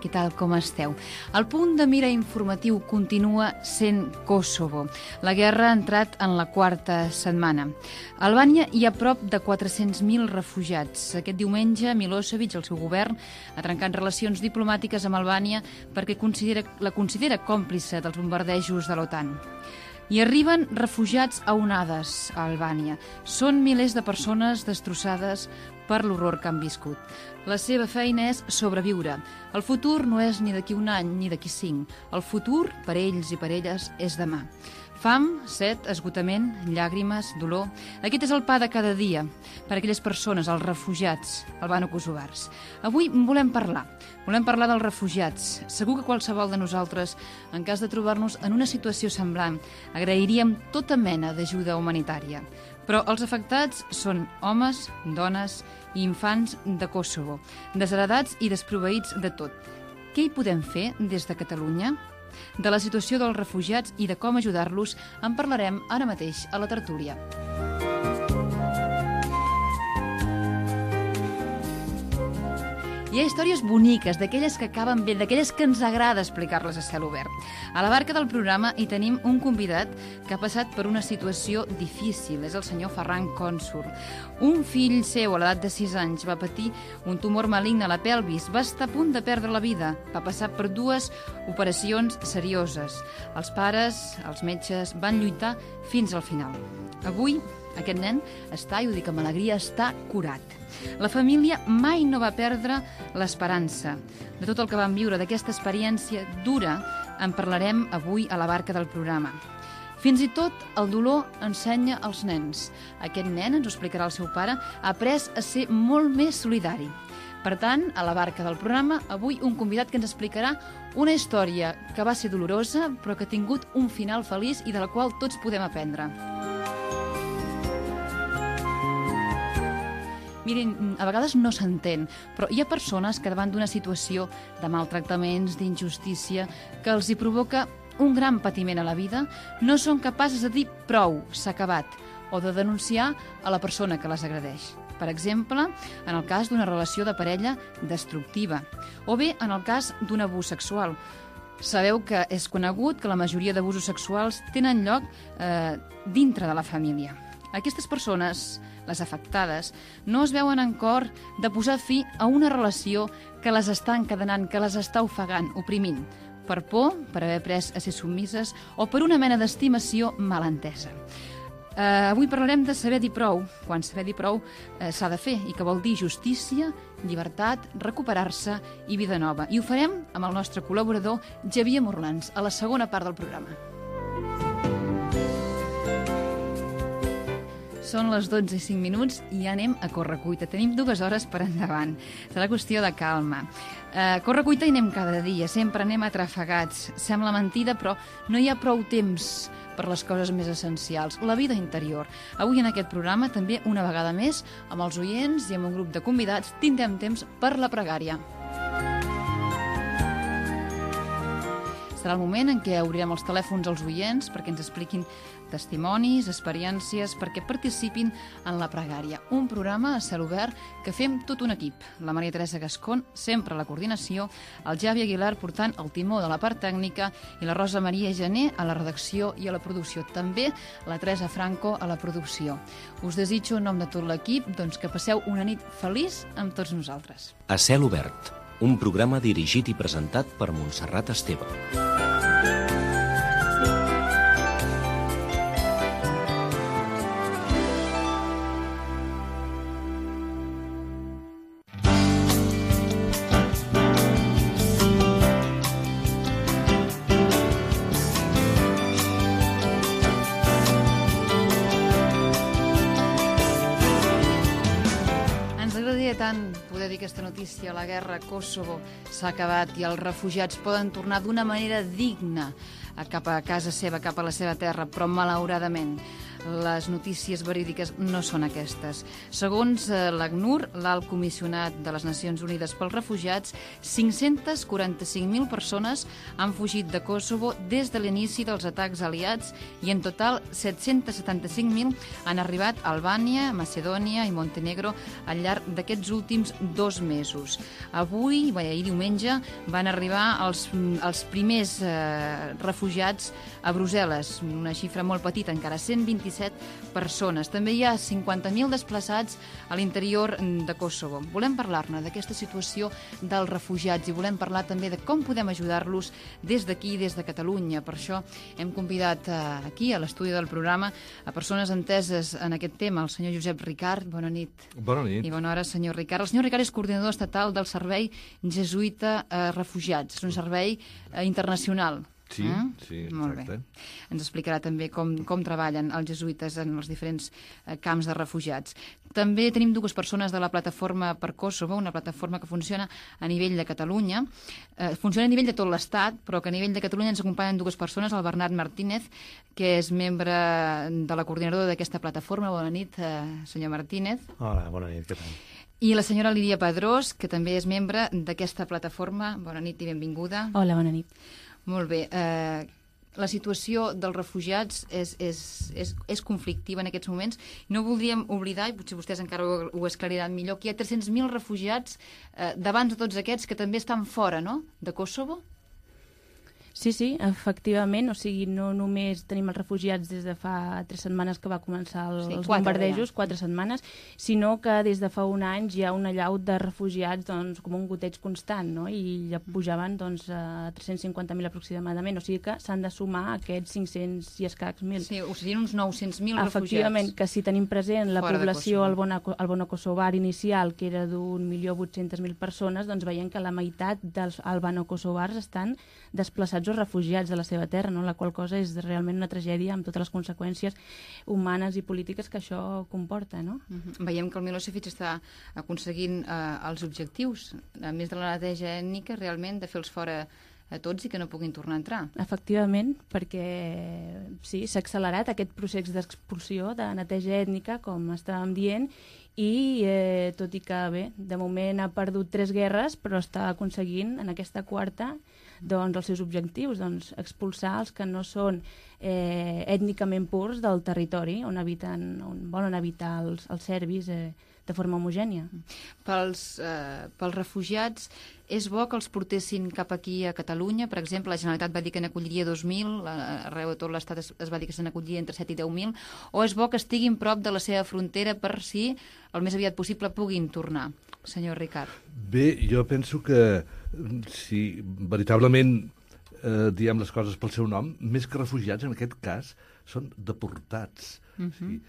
què tal, com esteu? El punt de mira informatiu continua sent Kosovo. La guerra ha entrat en la quarta setmana. A Albània hi ha prop de 400.000 refugiats. Aquest diumenge, Milosevic, el seu govern, ha trencat relacions diplomàtiques amb Albània perquè la considera còmplice dels bombardejos de l'OTAN. Hi arriben refugiats a onades a Albània. Són milers de persones destrossades per l'horror que han viscut. La seva feina és sobreviure. El futur no és ni d'aquí un any ni d'aquí 5. El futur, per ells i per elles, és demà. Fam, set, esgotament, llàgrimes, dolor... Aquest és el pa de cada dia per a aquelles persones, els refugiats albano-kosovars. Avui volem parlar dels refugiats. Segur que qualsevol de nosaltres, en cas de trobar-nos en una situació semblant, agrairíem tota mena d'ajuda humanitària. Però els afectats són homes, dones i infants de Kosovo, desheredats i desproveïts de tot. Què hi podem fer des de Catalunya? De la situació dels refugiats i de com ajudar-los en parlarem ara mateix a la tertúlia. Hi ha històries boniques, d'aquelles que acaben bé, d'aquelles que ens agrada explicar-les a cel obert. A la barca del programa hi tenim un convidat que ha passat per una situació difícil. És el senyor Ferran Cònsol. Un fill seu, a l'edat de 6 anys, va patir un tumor maligne a la pelvis, va estar a punt de perdre la vida, va passar per 2 operacions serioses. Els pares, els metges, van lluitar fins al final. Avui, aquest nen està, i ho dic amb alegria, està curat. La família mai no va perdre l'esperança. De tot el que van viure, d'aquesta experiència dura, en parlarem avui a la barca del programa. Fins i tot el dolor ensenya als nens. Aquest nen, ens ho explicarà el seu pare, ha après a ser molt més solidari. Per tant, a la barca del programa, avui un convidat que ens explicarà una història que va ser dolorosa, però que ha tingut un final feliç i de la qual tots podem aprendre. Mirin, a vegades no s'entén, però hi ha persones que davant d'una situació de maltractaments, d'injustícia, que els hi provoca un gran patiment a la vida, no són capaces de dir prou, s'ha acabat, o de denunciar a la persona que les agredeix. Per exemple, en el cas d'una relació de parella destructiva, o bé en el cas d'un abús sexual. Sabeu que és conegut que la majoria d'abusos sexuals tenen lloc dintre de la família. Aquestes persones, les afectades, no es veuen en cor de posar fi a una relació que les està encadenant, que les està ofegant, oprimint, per por, per haver après a ser submises o per una mena d'estimació mal entesa. Avui parlarem de saber dir prou, quan saber dir prou s'ha de fer, i que vol dir justícia, llibertat, recuperar-se i vida nova. I ho farem amb el nostre col·laborador Xavier Morlans, a la segona part del programa. Són les 12:05 i ja anem a correcuita. Tenim 2 hores per endavant. Serà qüestió de calma. Correcuita hi anem cada dia, sempre anem atrafegats. Sembla mentida, però no hi ha prou temps per les coses més essencials, la vida interior. Avui en aquest programa, també una vegada més, amb els oients i amb un grup de convidats, tindrem temps per la pregària. Serà el moment en què obrirem els telèfons als oients perquè ens expliquin testimonis, experiències, perquè participin en la pregària. Un programa a cel obert que fem tot un equip. La Maria Teresa Gascón, sempre a la coordinació, el Javi Aguilar portant el timó de la part tècnica i la Rosa Maria Gené a la redacció i a la producció. També la Teresa Franco a la producció. Us desitjo en nom de tot l'equip que passeu una nit feliç amb tots nosaltres. A cel obert, un programa dirigit i presentat per Montserrat Esteve. Tant poder dir aquesta notícia, la guerra a Kosovo s'ha acabat i els refugiats poden tornar d'una manera digna cap a casa seva, cap a la seva terra, però malauradament les notícies verídiques no són aquestes. Segons l'ACNUR, l'Alt Comissionat de les Nacions Unides pels Refugiats, 545.000 persones han fugit de Kosovo des de l'inici dels atacs aliats i en total 775.000 han arribat a Albània, Macedònia i Montenegro al llarg d'aquests últims 2 mesos. Avui, ahir diumenge, van arribar els primers refugiats a Brussel·les, una xifra molt petita, encara 127 persones. També hi ha 50.000 desplaçats a l'interior de Kosovo. Volem parlar-ne d'aquesta situació dels refugiats i volem parlar també de com podem ajudar-los des d'aquí, des de Catalunya. Per això hem convidat aquí, a l'estudi del programa, a persones enteses en aquest tema, el senyor Josep Ricart. Bona nit. Bona nit. I bona hora, senyor Ricart. El senyor Ricart és coordinador estatal del Servei Jesuïta Refugiats. És un servei internacional. Sí, sí, molt exacte. Bé. Ens explicarà també com treballen els jesuïtes en els diferents camps de refugiats. També tenim 2 persones de la plataforma per Kosovo, una plataforma que funciona a nivell de Catalunya. Funciona a nivell de tot l'Estat, però que a nivell de Catalunya ens acompanyen 2 persones, el Bernat Martínez, que és membre de la coordinadora d'aquesta plataforma. Bona nit, senyor Martínez. Hola, bona nit, què tal? I la senyora Lídia Pedrós, que també és membre d'aquesta plataforma. Bona nit i benvinguda. Hola, bona nit. Molt bé. La situació dels refugiats és conflictiva en aquests moments. No voldríem oblidar, i potser vostès encara ho esclariran millor, que hi ha 300.000 refugiats d'abans de tots aquests que també estan fora, no?, de Kosovo? Sí, efectivament, o sigui, no només tenim els refugiats des de fa 3 setmanes que va començar els bombardejos, 4 setmanes, sinó que des de fa un any hi ha una allau de refugiats, doncs, com un goteig constant, no?, i ja pujaven, doncs, a 350.000 aproximadament, o sigui que s'han de sumar aquests 500 i escacs mil. Sí, o sigui, uns 900.000 refugiats. Efectivament, que si tenim present la població albano-kosovar inicial, que era d'1.800.000 persones, doncs veiem que la meitat dels albano-kosovars estan desplaçats o refugiats de la seva terra, no? La qual cosa és realment una tragèdia amb totes les conseqüències humanes i polítiques que això comporta, no? Veiem que el Milosevic està aconseguint els objectius, a més de la neteja ètnica, realment de fer-los fora a tots i que no puguin tornar a entrar. Efectivament, perquè sí, s'ha accelerat aquest procés d'expulsió, de neteja ètnica, com estàvem dient, i tot i que, bé, de moment ha perdut 3 guerres, però està aconseguint en aquesta 4ª doncs, els seus objectius, doncs, expulsar els que no són ètnicament purs del territori on volen habitar els serbis de forma homogènia. Pels refugiats, és bo que els portessin cap aquí a Catalunya? Per exemple, la Generalitat va dir que n'acolliria 2.000, arreu de tot l'Estat es va dir que se n'acolliria entre 7 i 10.000, o és bo que estiguin prop de la seva frontera per si el més aviat possible puguin tornar? Senyor Ricart. Bé, jo penso que si veritablement diem les coses pel seu nom, més que refugiats, en aquest cas, són deportats. Sí.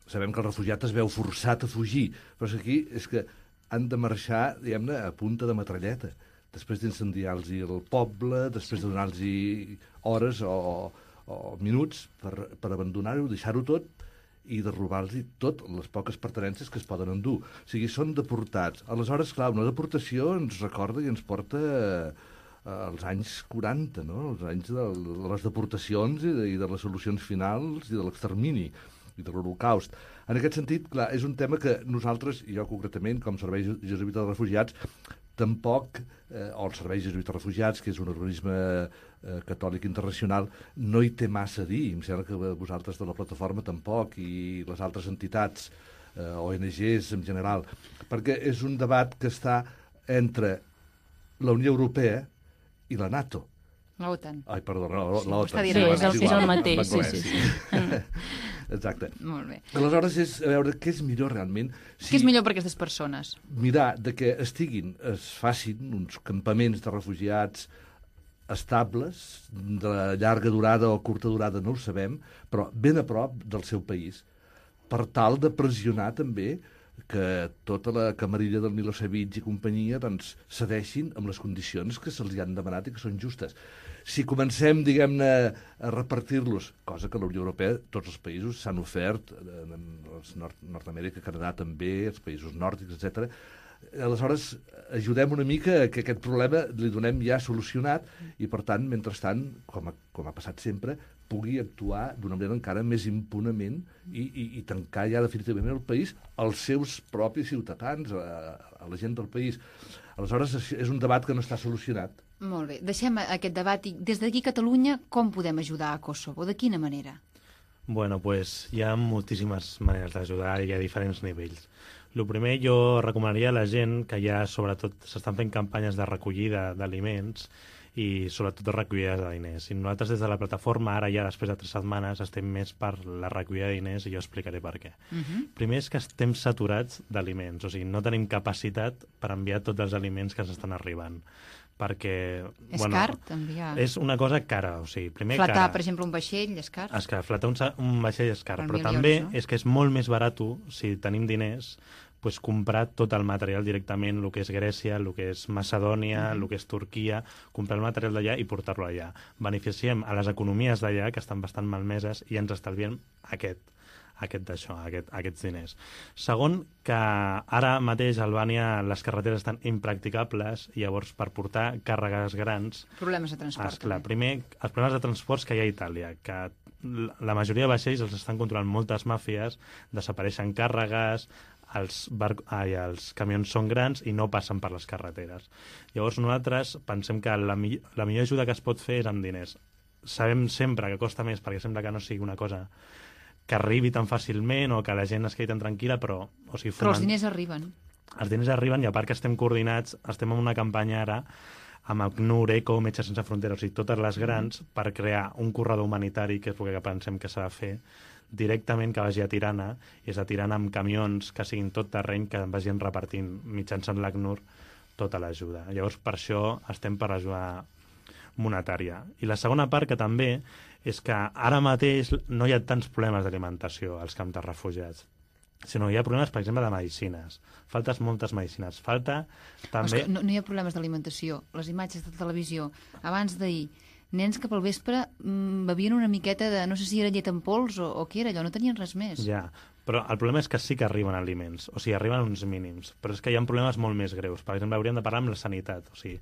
Sabem que el refugiat es veu forçat a fugir, però aquí és que han de marxar, diguem-ne, a punta de metralleta, després d'incendiar-los el poble, després de donar-los hores o minuts per abandonar-ho, deixar-ho tot i de robar-los tot les poques pertinences que es poden endur. O sigui, són deportats. Aleshores, clar, una deportació ens recorda i ens porta als anys 40, no? Els anys de les deportacions i de les solucions finals i de l'extermini i de l'Holocaust. En aquest sentit, clar, és un tema que nosaltres, i jo concretament, com Servei Jesuïta de Refugiats, tampoc, o el Servei Jesuïta de Refugiats, que és un organisme catòlic internacional, no hi té massa a dir. Em sembla que vosaltres de la plataforma tampoc, i les altres entitats, ONGs en general, perquè és un debat que està entre la Unió Europea i la NATO. L'OTAN. Ai, perdó, l'OTAN. Sí, és el mateix, sí. Exacte. Molt bé. Aleshores, és a veure què és millor realment. Què és millor per aquestes persones? Mirar de que es facin uns campaments de refugiats estables, de llarga durada o curta durada, no ho sabem, però ben a prop del seu país, per tal de pressionar també que tota la camarilla del Milosevic i companyia doncs, cedeixin amb les condicions que se'ls han demanat i que són justes. Si comencem, diguem-ne, a repartir-los, cosa que la Unió Europea, tots els països s'han ofert, Nord-Amèrica, Canadà també, els països nòrdics, etc. Aleshores, ajudem una mica que aquest problema li donem ja solucionat i, per tant, mentrestant, com ha passat sempre, pugui actuar d'una manera encara més impunament i tancar ja definitivament el país als seus propis ciutadans, a la gent del país. Aleshores, és un debat que no està solucionat. Molt bé, deixem aquest debat i des d'aquí a Catalunya com podem ajudar a Kosovo? De quina manera? Bueno, pues hi ha moltíssimes maneres d'ajudar i a diferents nivells. El primer, jo recomanaria a la gent que ja, sobretot, s'estan fent campanyes de recollida d'aliments i sobretot de recollida de diners. I nosaltres des de la plataforma, ara ja després de 3 setmanes, estem més per la recollida de diners i jo explicaré per què. Primer és que estem saturats d'aliments, o sigui, no tenim capacitat per enviar tots els aliments que s'estan arribant. Perquè... És car, enviar? És una cosa cara, o sigui, primer flatar, cara. Per exemple, un vaixell és car? És car, flatar un vaixell és car, Per però milions, també no? és que és molt més barat, si tenim diners, pues, comprar tot el material directament, el que és Grècia, el que és Macedònia, el que és Turquia, comprar el material d'allà i portar-lo allà. Beneficiem a les economies d'allà, que estan bastant malmeses, i ens estalviem aquests diners. Segon, que ara mateix a Albània les carreteres estan impracticables i llavors per portar càrregues grans... Problemes de transport. Clar, primer, els problemes de transports que hi ha a Itàlia, que la majoria de vaixells els estan controlant moltes màfies, desapareixen càrregues, els camions són grans i no passen per les carreteres. Llavors nosaltres pensem que la millor ajuda que es pot fer és amb diners. Sabem sempre que costa més perquè sembla que no sigui una cosa que arribi tan fàcilment o que la gent es quedi tan tranquil·la, però els diners arriben. Els diners arriben i a part que estem coordinats, estem en una campanya ara amb ACNUR, ECO, Metges Sense Fronteres, o sigui, totes les grans, per crear un corredor humanitari, que és el que pensem que s'ha de fer, directament que vagi a Tirana, i és a Tirana amb camions que siguin tot terreny, que vagin repartint mitjançant l'ACNUR tota l'ajuda. Llavors, per això estem per l'ajuda monetària. I la segona part, que també, és que ara mateix no hi ha tants problemes d'alimentació als camps de refugiats, sinó hi ha problemes, per exemple, de medicines. Falten moltes medicines. Falta també... No hi ha problemes d'alimentació. Les imatges de televisió, abans d'ahir, nens que pel vespre bevien una miqueta de... no sé si era llet en pols o què era allò, no tenien res més. Ja, però el problema és que sí que arriben aliments, o sigui, arriben uns mínims, però és que hi ha problemes molt més greus. Per exemple, hauríem de parlar amb la sanitat, o sigui,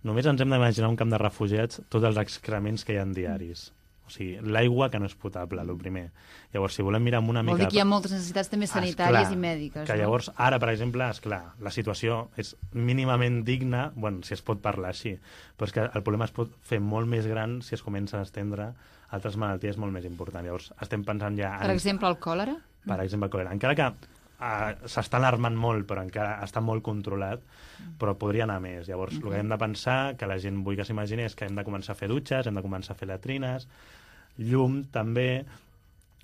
només ens hem d'imaginar un camp de refugiats, tots els excrements que hi ha diaris. O sigui, l'aigua que no és potable, el primer. Llavors, si volem mirar amb una mica... Vol dir que hi ha moltes necessitats també sanitàries i mèdiques. Que llavors, ara, per exemple, esclar, la situació és mínimament digna, bueno, si es pot parlar així, però és que el problema es pot fer molt més gran si es comencen a estendre altres malalties molt més importants. Llavors, estem pensant ja... Per exemple, el còlera? Per exemple, el còlera. Encara que s'està alarmant molt, però encara està molt controlat, però podria anar més. Llavors, el que hem de pensar, que la gent vull que s'imagini, és que hem de començar a fer dutxes, hem de començar a fer latrines, llum també,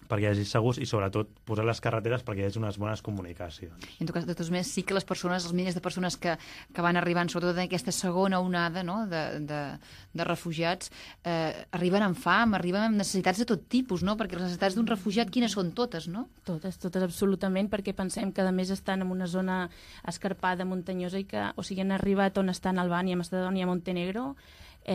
perquè hi hagi segurs i sobretot posar les carreteres perquè hi hagi unes bones comunicacions. I en tot cas, de tots més, sí que les persones, els milers de persones que van arribant, sobretot en aquesta segona onada, no?, de refugiats, arriben amb fam, arriben amb necessitats de tot tipus, no?, perquè les necessitats d'un refugiat quines són totes, no? Totes absolutament, perquè pensem que a més estan en una zona escarpada, muntanyosa, i que, o sigui, han arribat on estan Albània, Macedònia, Montenegro,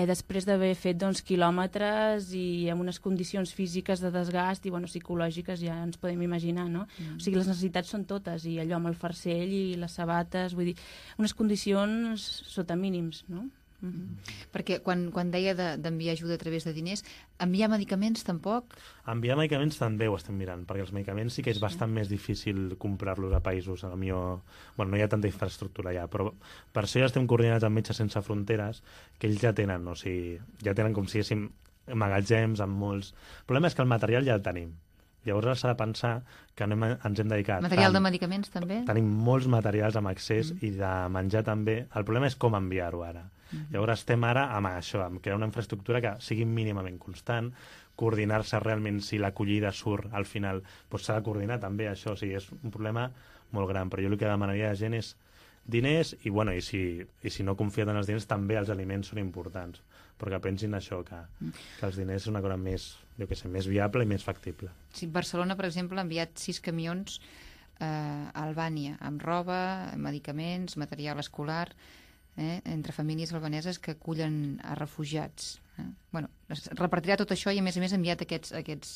després d'haver fet quilòmetres i amb unes condicions físiques de desgast i psicològiques ja ens podem imaginar, no? O sigui, les necessitats són totes, i allò amb el farcell i les sabates, vull dir, unes condicions sota mínims, no? Perquè quan deia d'enviar ajuda a través de diners, enviar medicaments tampoc? Enviar medicaments també ho estem mirant, perquè els medicaments sí que és bastant més difícil comprar-los a països, no hi ha tanta infraestructura allà, però per això ja estem coordinats amb Metges Sense Fronteres, que ells ja tenen, o sigui, ja tenen com si diguéssim magatzems amb molts... El problema és que el material ja el tenim. Llavors s'ha de pensar que ens hem dedicat... Material de medicaments també? Tenim molts materials amb accés i de menjar també. El problema és com enviar-ho ara. Llavors estem ara amb això, amb crear una infraestructura que sigui mínimament constant, coordinar-se realment si l'acollida surt al final, doncs s'ha de coordinar també això, o sigui, és un problema molt gran, però jo el que demanaria a la gent és diners i si no confien en els diners també els aliments són importants, però que pensin això, que els diners és una cosa més, més viable i més factible. Sí, Barcelona, per exemple, ha enviat 6 camions a Albània, amb roba, medicaments, material escolar, entre famílies albaneses que acullen a refugiats. Es repartirà tot això i, a més ha enviat aquests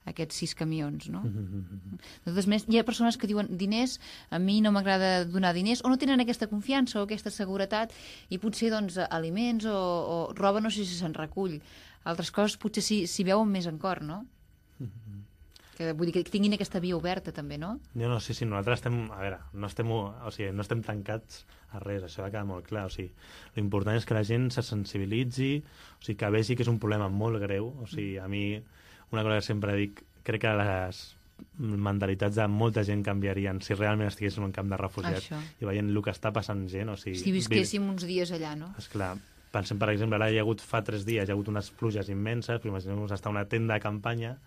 aquests 6 camions, no? De totes maneres, hi ha persones que diuen diners, a mi no m'agrada donar diners, o no tenen aquesta confiança o aquesta seguretat, i potser doncs, aliments o roba no sé si se'n recull. Altres coses potser s'hi veuen més en cor, no? Que, vull dir que tinguin aquesta via oberta també, no? Sí, nosaltres estem, a veure, no estem tancats a res, això ha de quedar molt clar, l'important és que la gent se sensibilitzi, que vegi que és un problema molt greu, a mi, una cosa que sempre dic, crec que les mentalitats de molta gent canviarien si realment estiguéssim en un camp de refugiats i veient el que està passant gent, si visquéssim uns dies allà, no? Esclar, pensem, per exemple, ara fa 3 dies, hi ha hagut unes pluges immenses, però imaginem-nos estar a una tenda de campanya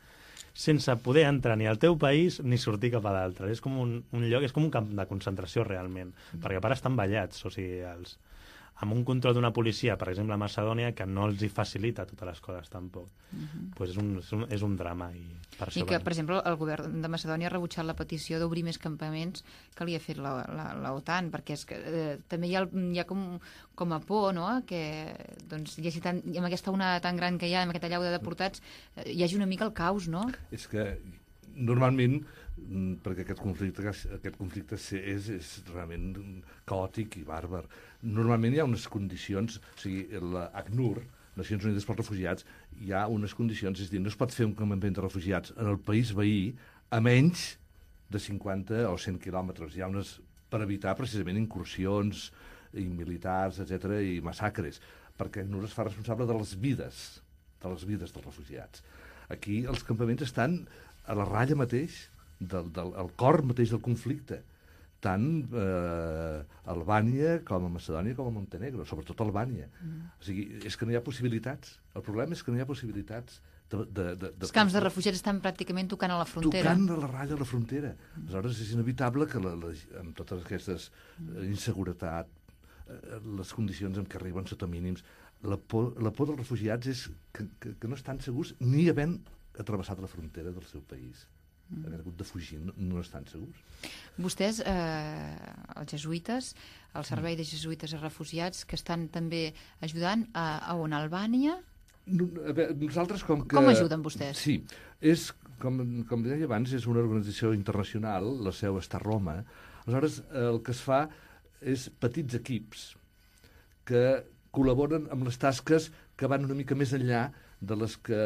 sense poder entrar ni al teu país ni sortir cap a l'altre. És com un lloc, és com un camp de concentració realment, perquè a part estan ballats, amb un control d'una policia, per exemple a Macedònia, que no els hi facilita totes les coses tampoc. Pues és un drama. I que, per exemple, el govern de Macedònia ha rebutjat la petició d'obrir més campaments que li ha fet l'OTAN, perquè és que també hi ha com a por, no?, que doncs, amb aquesta onada tan gran que hi ha, amb aquesta allau de deportats, hi hagi una mica el caos, no? És que normalment, perquè aquest conflicte és realment caòtic i bàrbar, normalment hi ha unes condicions, l'ACNUR, Nacions Unides pels Refugiats, hi ha unes condicions, és a dir, no es pot fer un campament de refugiats en el país veí a menys de 50 o 100 quilòmetres. Hi ha unes per evitar precisament incursions militars, etc i massacres, perquè ACNUR es fa responsable de les vides dels refugiats. Aquí els campaments estan a la ratlla mateix, al cor mateix del conflicte, tant a Albània com a Macedònia com a Montenegro, sobretot a Albània. És que no hi ha possibilitats. El problema és que no hi ha possibilitats. Els camps de refugiats estan pràcticament tocant a la frontera. Tocant a la ratlla de la frontera. Aleshores és inevitable que amb totes aquestes inseguretat, les condicions en què arriben sota mínims, la por dels refugiats és que no estan segurs ni havent travessat la frontera del seu país. Haver hagut de fugir, no estan segurs. Vostès, els jesuïtes, el Servei de Jesuïtes a Refugiats, que estan també ajudant a on? A Albània? Nosaltres, com ajuden vostès? Sí, com deia abans, és una organització internacional, la seu està a Roma. Aleshores, el que es fa és petits equips que col·laboren amb les tasques que van una mica més enllà de les que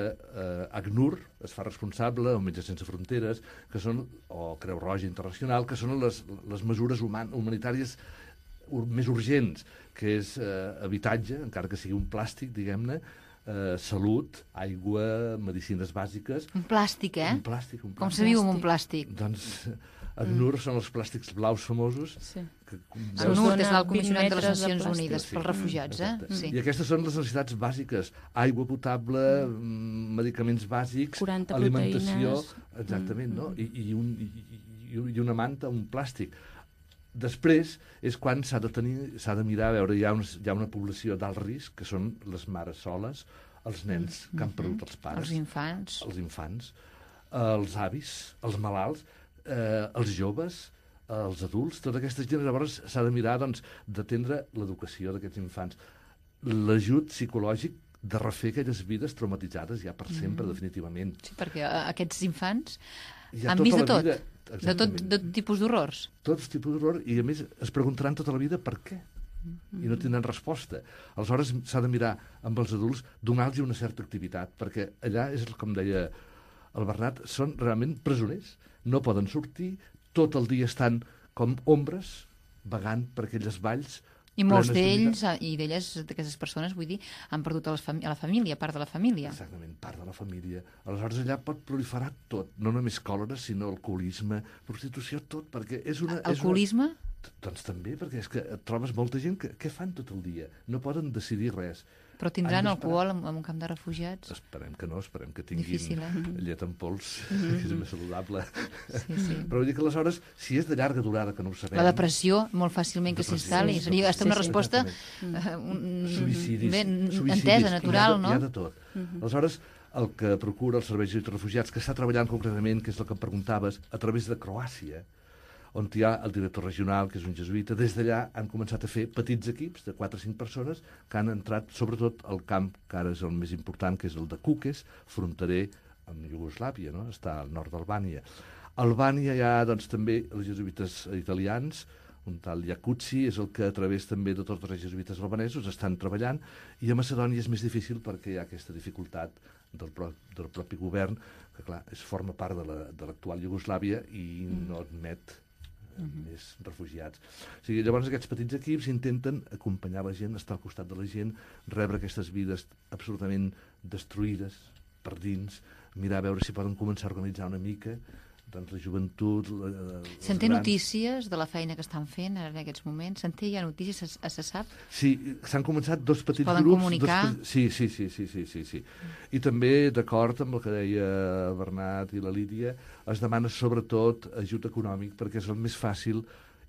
ACNUR es fa responsable, o Metges Sense Fronteres, o Creu Roja Internacional, que són les mesures humanitàries més urgents, que és habitatge, encara que sigui un plàstic, diguem-ne, salut, aigua, medicines bàsiques... Un plàstic, eh? Un plàstic. Com se viu amb un plàstic? Doncs ACNUR són els plàstics blaus famosos. ACNUR és el Comissionat de les Nacions Unides pels Refugiats, Sí. I aquestes són les necessitats bàsiques. Aigua potable, medicaments bàsics, alimentació... Exactament, no? I una manta, un plàstic. Després és quan s'ha de mirar, a veure, hi ha una població d'alt risc, que són les mares soles, els nens que han perdut els pares. Els infants. Els avis, els malalts, els joves, els adults, tota aquesta gent. Llavors s'ha de mirar d'atendre l'educació d'aquests infants, l'ajut psicològic de refer aquelles vides traumatitzades ja per sempre, definitivament. Sí, perquè aquests infants han vist de tot, de tot tipus d'horrors. Tots tipus d'horror, i a més es preguntaran tota la vida per què, i no tindran resposta. Aleshores s'ha de mirar amb els adults, donar-los una certa activitat, perquè allà és, com deia el Bernat, són realment presoners. No poden sortir, tot el dia estan com ombres, vagant per aquelles valls. I molts d'ells, i d'elles, d'aquestes persones, vull dir, han perdut a la família, part de la família. Exactament, part de la família. Aleshores allà pot proliferar tot, no només còlera, sinó alcoholisme, prostitució, tot, perquè és una... Alcoholisme? Doncs també, perquè és que et trobes molta gent que què fan tot el dia? No poden decidir res. Però tindran alcohol en un camp de refugiats? Esperem que no, esperem que tinguin difícil, llet en pols, que és més saludable. Sí. Però vull dir que aleshores, si és de llarga durada, que no ho sabem... La depressió, molt fàcilment que s'instal·li. Seria una resposta entesa, natural, no? Hi ha de tot. Aleshores, el que procura el Servei de Refugiats, que està treballant concretament, que és el que em preguntaves, a través de Croàcia, on hi ha el director regional, que és un jesuïta, des d'allà han començat a fer petits equips de 4 o 5 persones que han entrat, sobretot, al camp, que ara és el més important, que és el de Kukes, fronterer amb Iugoslàvia, no? Està al nord d'Albània. A Albània hi ha doncs, també els jesuïtes italians, un tal Iacuzzi és el que a través també de tots els jesuïtes albanesos estan treballant, i a Macedònia és més difícil perquè hi ha aquesta dificultat del propi govern, que clar, forma part de l'actual Iugoslàvia i no admet més refugiats. O sigui, llavors aquests petits equips intenten acompanyar la gent, estar al costat de la gent, rebre aquestes vides absolutament destruïdes per dins, mirar a veure si poden començar a organitzar una mica doncs la joventut... Se'n té notícies de la feina que estan fent en aquests moments? Se'n té ja notícies? Se sap? Sí, s'han començat dos petits grups... Poden comunicar? Sí. I també, d'acord amb el que deia Bernat i la Lídia, es demana sobretot ajut econòmic, perquè és el més fàcil,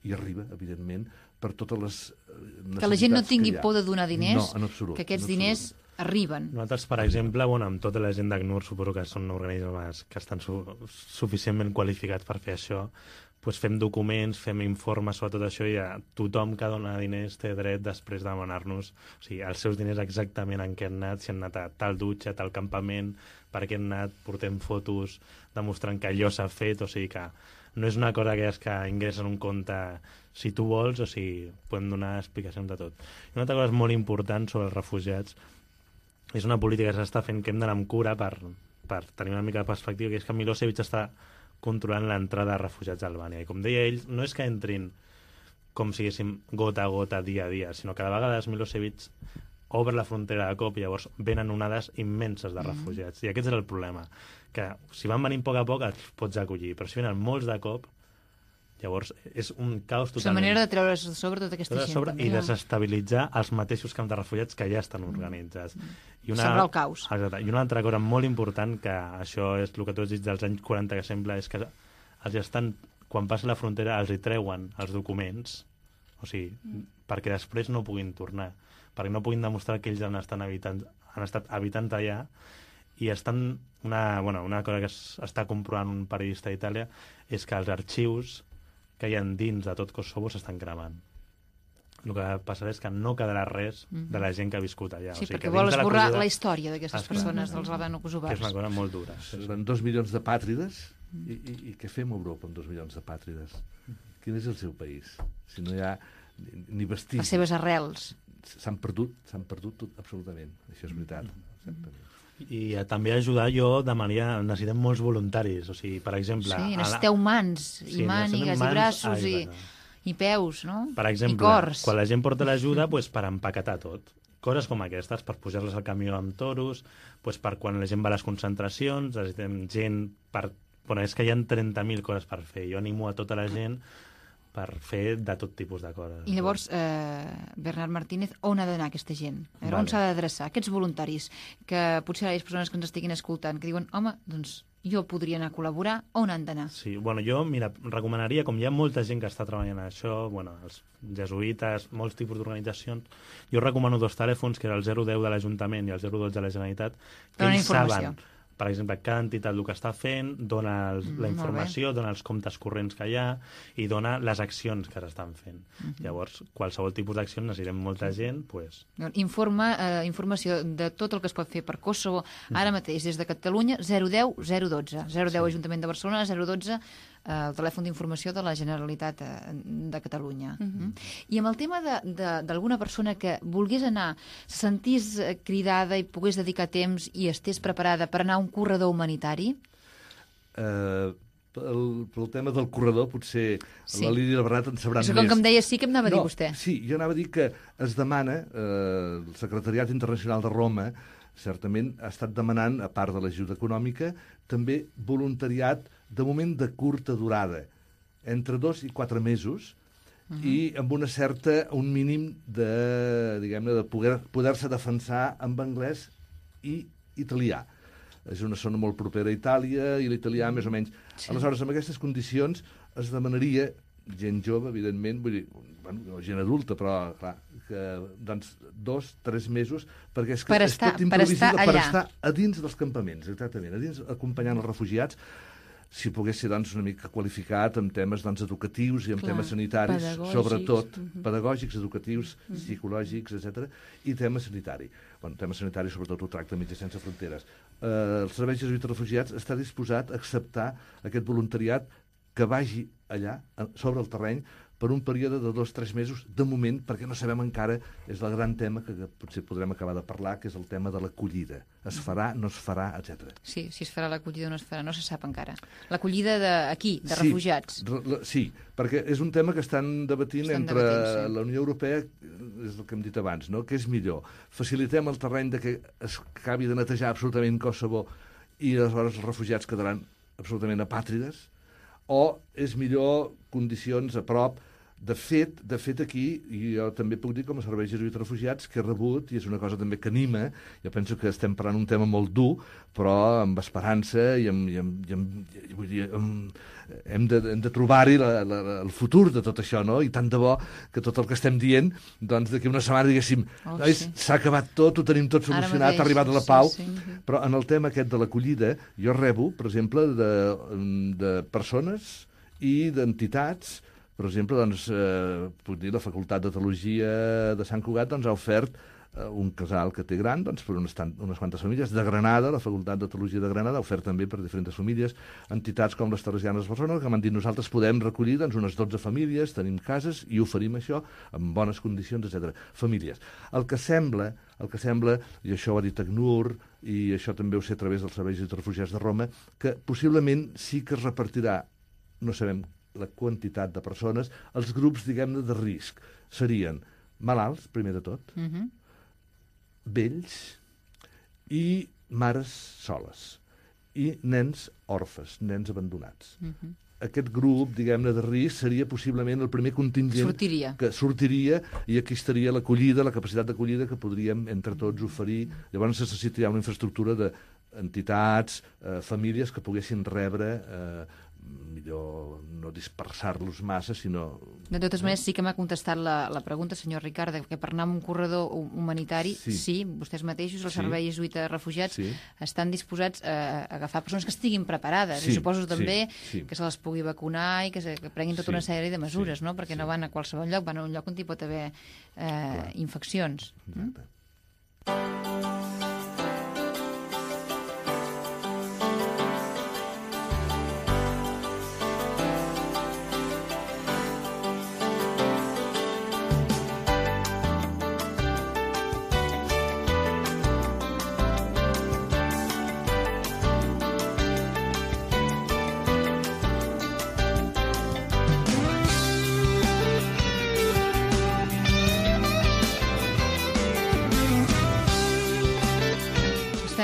i arriba, evidentment, per totes les necessitats que la gent no tingui por de donar diners, no, en absolut, que aquests diners arriben. Nosaltres, per exemple, amb tota la gent d'ACNUR, suposo que són organismes que estan suficientment qualificats per fer això, doncs fem documents, fem informes sobre tot això, i tothom que dona diners té dret després de demanar-nos els seus diners exactament en què han anat, si han anat a tal dutxa, a tal campament, per què han anat, portem fotos demostrant que allò s'ha fet, o sigui que no és una cosa que ingressa en un compte si tu vols, o sigui, podem donar explicacions de tot. I una altra cosa molt important sobre els refugiats és una política que s'està fent que hem d'anar amb cura per tenir una mica de perspectiva, que és que Milosevic està controlant l'entrada de refugiats a Albània. I com deia ell, no és que entrin com si diguéssim gota a gota, dia a dia, sinó que de vegades Milosevic obre la frontera de cop i llavors venen onades immenses de refugiats. I aquest és el problema, que si van venint a poc et pots acollir, però si venen molts de cop, llavors és un caos totalment. És una manera de treure sobre tota aquesta gent. I desestabilitzar els mateixos camps de refugiats que ja estan organitzats. Sembla el caos. Exacte. I una altra cosa molt important, que això és el que tu has dit dels anys 40 que sembla, és que els estan, quan passen la frontera els hi treuen els documents, o sigui, perquè després no puguin tornar, perquè no puguin demostrar que ells han estat habitant allà, i estan una cosa que està comprovant un periodista d'Itàlia és que els arxius que hi ha dins de tot Kosovo s'estan cremant. El que passarà és que no quedarà res de la gent que ha viscut allà. Sí, perquè vol esborrar la història d'aquestes persones, dels albano-kosovars. És una cosa molt dura. Seran 2 milions de pàtrides, i què fem a Europa amb 2 milions de pàtrides? Quin és el seu país? Si no hi ha ni vestigis. Les seves arrels. S'han perdut tot, absolutament. Això és veritat. Exactament. I també ajudar jo demanaria, necessitem molts voluntaris, o sigui, per exemple... Sí, necessiteu mans, i mànigues, i braços, i peus, no? Per exemple, i cors. Quan la gent porta l'ajuda, per empaquetar tot. Coses com aquestes, per pujar-les al camió amb toros, per quan la gent va a les concentracions, necessitem gent per... Bueno, és que hi ha 30.000 coses per fer. Jo animo a tota la gent per fer de tot tipus de coses. I llavors, Bernat Martínez, on ha d'anar aquesta gent? On s'ha d'adreçar? Aquests voluntaris, que potser hi ha persones que ens estiguin escoltant, que diuen, home, doncs jo podria anar a col·laborar, on han d'anar? Sí, jo, recomanaria, com hi ha molta gent que està treballant en això, els jesuïtes, molts tipus d'organitzacions, jo recomano 2 telèfons, que era el 010 de l'Ajuntament i el 012 de la Generalitat, que ells saben, per exemple, cada entitat el que està fent, dona la informació, dona els comptes corrents que hi ha i dona les accions que s'estan fent. Llavors, qualsevol tipus d'acció necessitem molta gent, informació de tot el que es pot fer per Kosovo, ara mateix, des de Catalunya, 010 012. 010 Ajuntament de Barcelona, 012 el telèfon d'informació de la Generalitat de Catalunya. I amb el tema d'alguna persona que volgués anar, se sentís cridada i pogués dedicar temps i estés preparada per anar a un corredor humanitari? Pel tema del corredor, potser la Lídia i el Bernat en sabran més. Com que em deia sí, que em anava a dir vostè. Sí, jo anava a dir que es demana, el Secretariat Internacional de Roma certament ha estat demanant, a part de l'ajuda econòmica, també voluntariat de moment de curta durada, entre 2 i 4 mesos, i amb un mínim de, diguem-ne, de poder-se defensar amb anglès i italià. És una zona molt propera a Itàlia i l'italià més o menys. Sí. Aleshores, amb aquestes condicions es demanaria gent jove, evidentment, vull dir, gent adulta, però clar, que, doncs 2-3 mesos, perquè és que és tot imprevisible, per estar a dins dels campaments, exactament, a dins acompanyant els refugiats. si pogués ser doncs, una mica qualificat en temes doncs, educatius i en temes sanitaris, pedagògics. sobretot pedagògics, educatius, psicològics, etc. I tema sanitari. Bueno, tema sanitari sobretot ho tracta Metges Sense Fronteres. El Servei Jesuïta de Refugiats està disposat a acceptar aquest voluntariat que vagi allà, sobre el terreny, per un període de 2-3 mesos, de moment, perquè no sabem encara, és el gran tema que potser podrem acabar de parlar, que és el tema de l'acollida. Es farà, no es farà, etc. Sí, si es farà l'acollida o no es farà, no se sap encara. L'acollida d'aquí, de refugiats. Sí, perquè és un tema que estan debatint entre la Unió Europea, és el que hem dit abans, no? Què és millor? Facilitem el terreny de que es acabi de netejar absolutament Kosovo i aleshores els refugiats quedaran absolutament apàtrides? O és millor condicions a prop? De fet aquí, i jo també puc dir com a Servei Jesuïta de Refugiats, que he rebut, i és una cosa també que anima, jo penso que estem parlant un tema molt dur, però amb esperança i vull dir, hem de trobar-hi el futur de tot això, no? I tant de bo que tot el que estem dient, doncs d'aquí una setmana diguéssim, s'ha acabat tot, ho tenim tot solucionat, ha arribat a la pau, però en el tema aquest de l'acollida, jo rebo, per exemple, de persones i d'entitats. Per exemple, doncs, puc dir, la Facultat de Teologia de Sant Cugat doncs, ha ofert un casal que té gran doncs, per unes quantes famílies. De Granada, la Facultat de Teologia de Granada ha ofert també per diferents famílies. Entitats com les Teresianes de Barcelona que m'han dit nosaltres podem recollir doncs, unes 12 famílies, tenim cases i oferim això en bones condicions, etc. Famílies. El que sembla, i això ho ha dit ACNUR, i això també ho sé a través dels Serveis de Refugiats de Roma, que possiblement sí que es repartirà, no sabem la quantitat de persones, els grups, diguem-ne, de risc serien malalts, primer de tot, vells i mares soles, i nens orfes, nens abandonats. Aquest grup, diguem-ne, de risc seria possiblement el primer contingent que sortiria, i aquí estaria l'acollida, la capacitat d'acollida que podríem entre tots oferir. Llavors necessitaria una infraestructura d'entitats, famílies que poguessin rebre, millor no dispersar-los massa, sinó... De totes maneres, sí que m'ha contestat la pregunta, senyor Ricard, que per anar a un corredor humanitari, sí vostès mateixos, el Servei Jesuïta de Refugiats, estan disposats a agafar persones que estiguin preparades, i suposo també que se les pugui vacunar i que prenguin tota una sèrie de mesures, no? Perquè no van a qualsevol lloc, van a un lloc on hi pot haver infeccions. Exacte.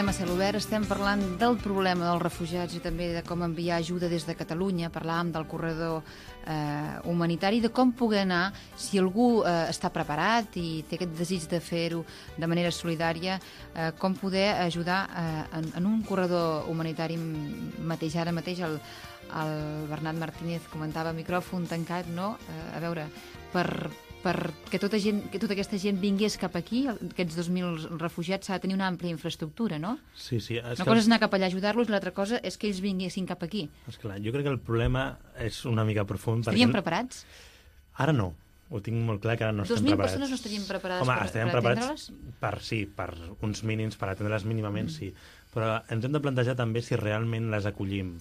A Cel Obert estem parlant del problema dels refugiats i també de com enviar ajuda des de Catalunya. Parlàvem del corredor humanitari, de com poder anar, si algú està preparat i té aquest desig de fer-ho de manera solidària, com poder ajudar en un corredor humanitari mateix. Ara mateix el Bernat Martínez comentava micròfon tancat, no? A veure, perquè tota aquesta gent vingués cap aquí, aquests 2.000 refugiats, s'ha de tenir una àmplia infraestructura, no? Sí. Una cosa és anar cap allà a ajudar-los, l'altra cosa és que ells vinguessin cap aquí. Esclar, jo crec que el problema és una mica profund. Estaríem preparats? Ara no. Ho tinc molt clar que ara no estem 2.000 preparats. persones no estarien preparades per atendre-les? Per uns mínims, per atendre-les mínimament, sí. Però ens hem de plantejar també si realment les acollim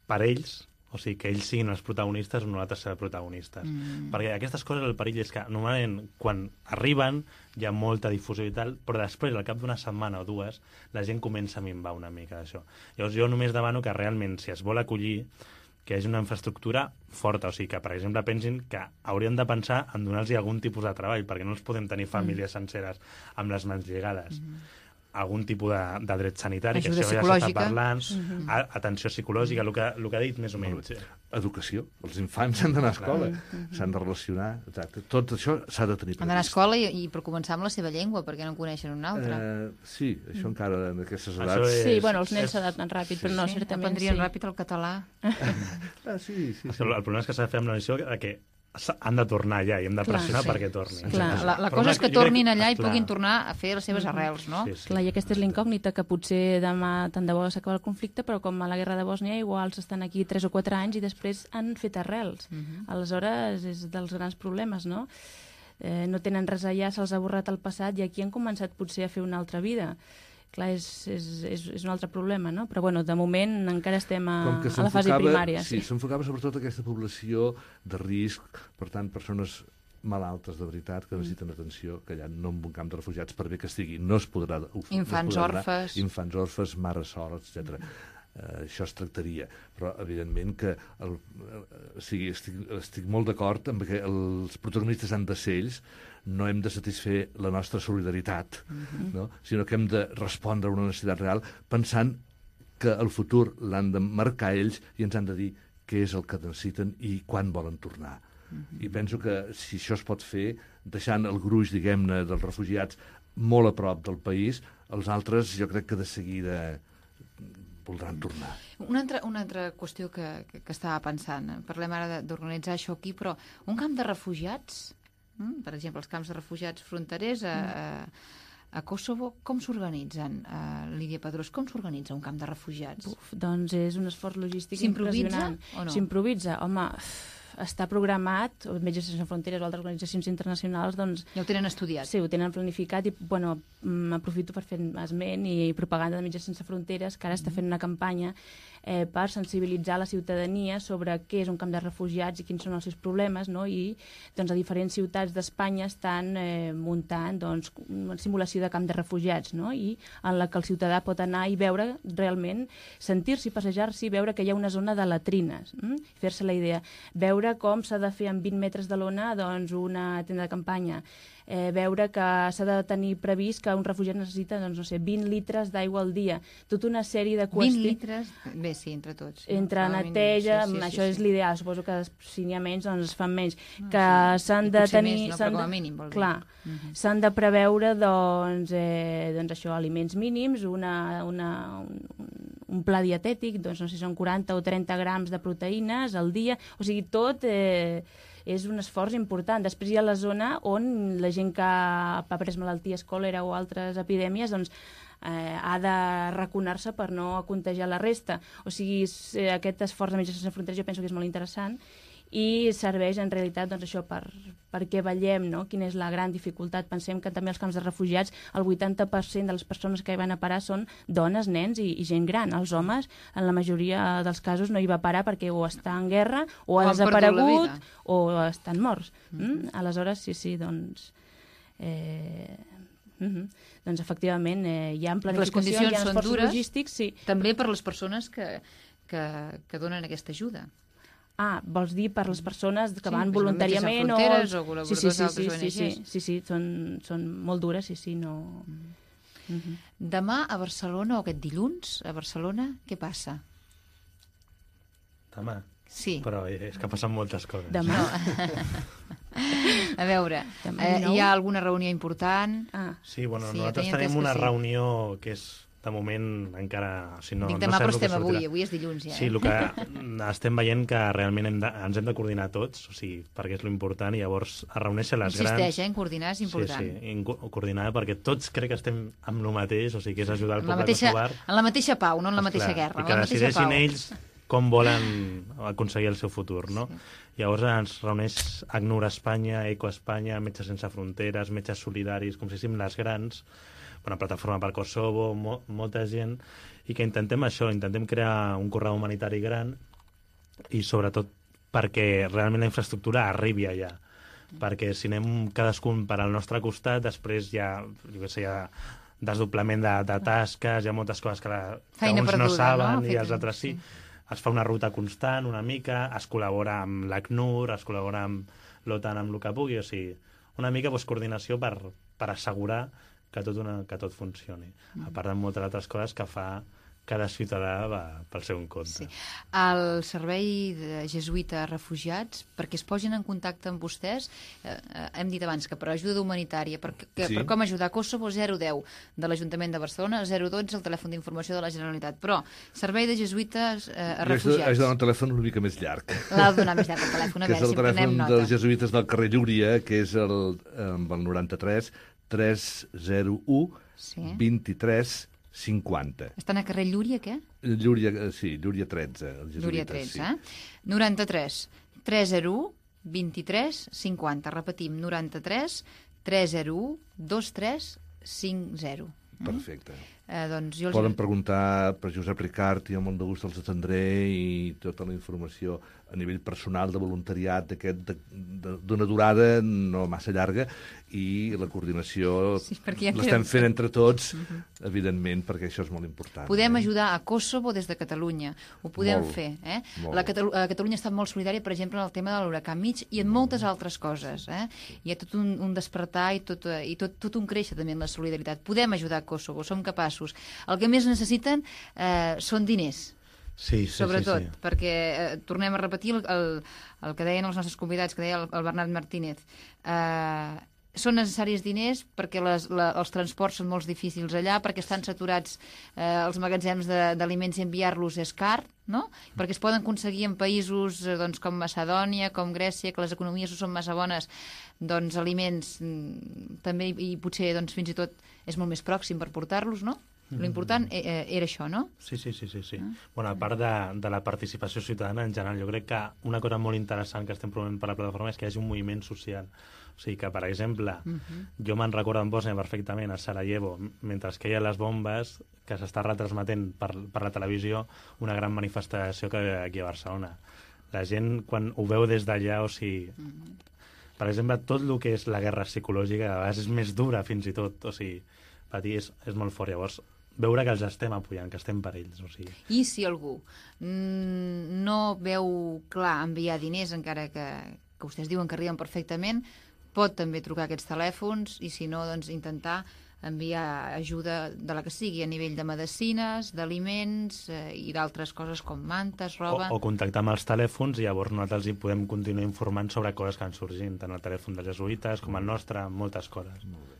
per ells, o sigui, que ells siguin els protagonistes o nosaltres ser protagonistes. Perquè aquestes coses, el perill és que normalment quan arriben hi ha molta difusió i tal, però després, al cap d'una setmana o dues, la gent comença a minvar una mica d'això. Llavors jo només demano que realment, si es vol acollir, que hi hagi una infraestructura forta, o sigui, que, per exemple, pensin que haurien de pensar en donar-los algun tipus de treball, perquè no els podem tenir famílies senceres amb les mans lligades. Algun tipus de dret sanitari, ajuda que això ja s'està parlant, atenció psicològica, el que ha dit més o menys. Educació. Els infants han d'anar a escola, s'han de relacionar, exacte. Tot això s'ha de tenir previst. Han d'anar a escola i per començar amb la seva llengua, perquè no en coneixen una altra. Sí, això encara en aquestes edats... Sí, bueno, els nens s'adapten ràpid, però no, certament aprendrien ràpid el català. Sí. El problema és que s'ha de fer amb la noció que han de tornar allà i hem de pressionar sí. perquè tornin. Clar. La Però cosa és que tornin allà i clar. puguin tornar a fer les seves arrels, no? Sí, sí. Clar, i aquesta és la incògnita, que potser demà tant de bo s'acaba el conflicte, però com a la guerra de Bòsnia igual estan aquí 3 o 4 anys i després han fet arrels. Aleshores és dels grans problemes, no? No tenen res allà, se'ls ha borrat el passat i aquí han començat potser a fer una altra vida. Clar, és un altre problema, no? Però bueno, de moment encara estem a la fase primària. Sí, s'enfocava sobretot aquesta població de risc, per tant, persones malaltes de veritat que necessiten atenció, que allà no en un camp de refugiats, per bé que estigui, no es podrà... Infants orfes. Infants orfes, mares soles, etc. Això es tractaria, però evidentment que estic molt d'acord amb que els protagonistes han de ser ells, no hem de satisfer la nostra solidaritat, no? Sinó que hem de respondre a una necessitat real pensant que el futur l'han de marcar ells i ens han de dir què és el que necessiten i quan volen tornar. I penso que si això es pot fer, deixant el gruix, diguem-ne, dels refugiats molt a prop del país, els altres jo crec que de seguida voldran tornar. Una altra qüestió que estava pensant, parlem ara d'organitzar això aquí, però un camp de refugiats, per exemple, els camps de refugiats fronterers a Kosovo, com s'organitzen? Lídia Pedrós, com s'organitza un camp de refugiats? Doncs és un esforç logístic S'improvisa impressionant. o no? S'improvisa, home, està programat, Metges Sense Fronteres o altres organitzacions internacionals, doncs... Ja ho tenen estudiat. Sí, ho tenen planificat i, bueno, aprofito per fer esment i propaganda de Metges Sense Fronteres, que ara està fent una campanya per sensibilitzar la ciutadania sobre què és un camp de refugiats i quins són els seus problemes, no? I doncs, a diferents ciutats d'Espanya estan muntant doncs, una simulació de camp de refugiats, no? I en la que el ciutadà pot anar i veure realment, sentir-s'hi, passejar-s'hi, veure que hi ha una zona de latrines, fer-se la idea, veure com s'ha de fer amb 20 metres de lona doncs, una tenda de campanya, veure que s'ha de tenir previst que un refugiat necessita, doncs, no sé, 20 litres d'aigua al dia, tota una sèrie de qüestions... 20 litres? Bé, sí, entre tots. Entre neteja, això és l'ideal, suposo que si n'hi ha menys, doncs es fan menys. Que s'han de tenir... Més, no? Però com a mínim, vol dir. Clar, s'han de preveure, doncs això, aliments mínims, un pla dietètic, doncs no sé si són 40 o 30 grams de proteïnes al dia, o sigui, tot... és un esforç important. Després hi ha la zona on la gent que ha pres malalties, còlera o altres epidèmies, doncs ha de raconar-se per no contagiar la resta. O sigui, aquest esforç de Metges Sense Fronteres jo penso que és molt interessant i serveix en realitat doncs, això perquè veiem, no? Quina és la gran dificultat. Pensem que també als camps de refugiats el 80% de les persones que hi van a parar són dones, nens i gent gran. Els homes, en la majoria dels casos, no hi va parar perquè o està en guerra o ha desaparegut o estan morts. Aleshores, sí, doncs... doncs efectivament hi ha planificació, hi ha esforços logístics, sí. També per les persones que donen aquesta ajuda. Vols dir per les persones que van voluntàriament o col·laboradors d'altres ONGs? Sí, són molt dures, sí, no... Demà a Barcelona, o aquest dilluns, a Barcelona, què passa? Demà? Sí. Però és que passen moltes coses. Demà. A veure, hi ha alguna reunió important? Sí, nosaltres tenim una reunió que és de moment encara... Dic demà, però estem avui és dilluns ja. Sí, el que estem veient que realment ens hem de coordinar tots, o sigui, perquè és l'important, i llavors es reuneixen les grans... Insisteix, en coordinar és important. Sí, coordinar, perquè tots crec que estem amb el mateix, o sigui, que és ajudar el poble kosovar. En la mateixa pau, no en la mateixa guerra. I que decideixin ells com volen aconseguir el seu futur, no? Llavors ens reuneix ACNUR Espanya, ECO Espanya, Metges Sense Fronteres, Metges Solidaris, com si fóssim les grans, una plataforma per Kosovo, molta gent, i que intentem això, intentem crear un corredor humanitari gran i sobretot perquè realment la infraestructura arribi allà. Perquè si anem cadascun per al nostre costat, després hi ha, hi ha desdoblament de tasques, hi ha moltes coses que uns no saben i els altres sí. Es fa una ruta constant, una mica, es col·labora amb l'ACNUR, es col·labora amb l'OTAN, amb el que pugui, o sigui, una mica coordinació per assegurar que tot funcioni. A part de moltes altres coses que cada ciutadà va pel seu compte. Sí. El servei de jesuïta a refugiats, perquè es posin en contacte amb vostès, hem dit abans que per ajuda humanitària, per com ajudar a Kosovo, 010 de l'Ajuntament de Barcelona, 012 el telèfon d'informació de la Generalitat. Però servei de jesuïtes a refugiats... Haig de donar un telèfon una mica més llarg. L'ha de donar més llarg el telèfon, a veure si prenem nota. Que és el telèfon dels jesuïtes del carrer Llúria, que és el 93 301 23 50. Estan a carrer Llúria, què? Llúria 13. Llúria 13, 93 301 23 50. Repetim, 93 301 23 50. Perfecte. Doncs Poden preguntar per Josep Ricart i amb molt de gust els atendré, i tota la informació a nivell personal de voluntariat d'una durada no massa llarga, i la coordinació l'estem fent entre tots, evidentment, perquè això és molt important. Podem ajudar a Kosovo des de Catalunya, ho podem fer. Catalunya ha estat molt solidària, per exemple, en el tema de l'huracà Mitch i en moltes altres coses. Hi ha tot un despertar i tot un créixer també en la solidaritat. Podem ajudar a Kosovo, som capaços. El que més necessiten són diners. Sí, sobretot, perquè tornem a repetir el que deien els nostres convidats, que deia el Bernat Martínez. Són necessaris diners perquè els transports són molt difícils allà, perquè estan saturats els magatzems d'aliments, i enviar-los és car, no? Perquè es poden aconseguir en països com Macedònia, com Grècia, que les economies no són massa bones, doncs aliments també, i potser fins i tot és molt més pròxim per portar-los, no? L'important era això, no? Sí. Bueno, a part de la participació ciutadana en general, jo crec que una cosa molt interessant que estem promovent per la plataforma és que hi hagi un moviment social. O sigui que, per exemple, jo me'n recordo en Bòsnia perfectament, a Sarajevo, mentre que hi ha les bombes, que s'està retransmetent per la televisió una gran manifestació que ve aquí a Barcelona. La gent, quan ho veu des d'allà, o sigui... Per exemple, tot el que és la guerra psicològica, a vegades és més dura, fins i tot. O sigui, patir és molt fort. Llavors, veure que els estem apoyant, que estem per ells. O sigui. I si algú no veu clar enviar diners, encara que vostès diuen que arriben perfectament, pot també trucar aquests telèfons, i si no, doncs intentar enviar ajuda de la que sigui, a nivell de medicines, d'aliments i d'altres coses com mantes, roba... O contactar amb els telèfons, i llavors nosaltres hi podem continuar informant sobre coses que han sorgint, tant el telèfon dels jesuïtes com el nostre, moltes coses. Molt bé.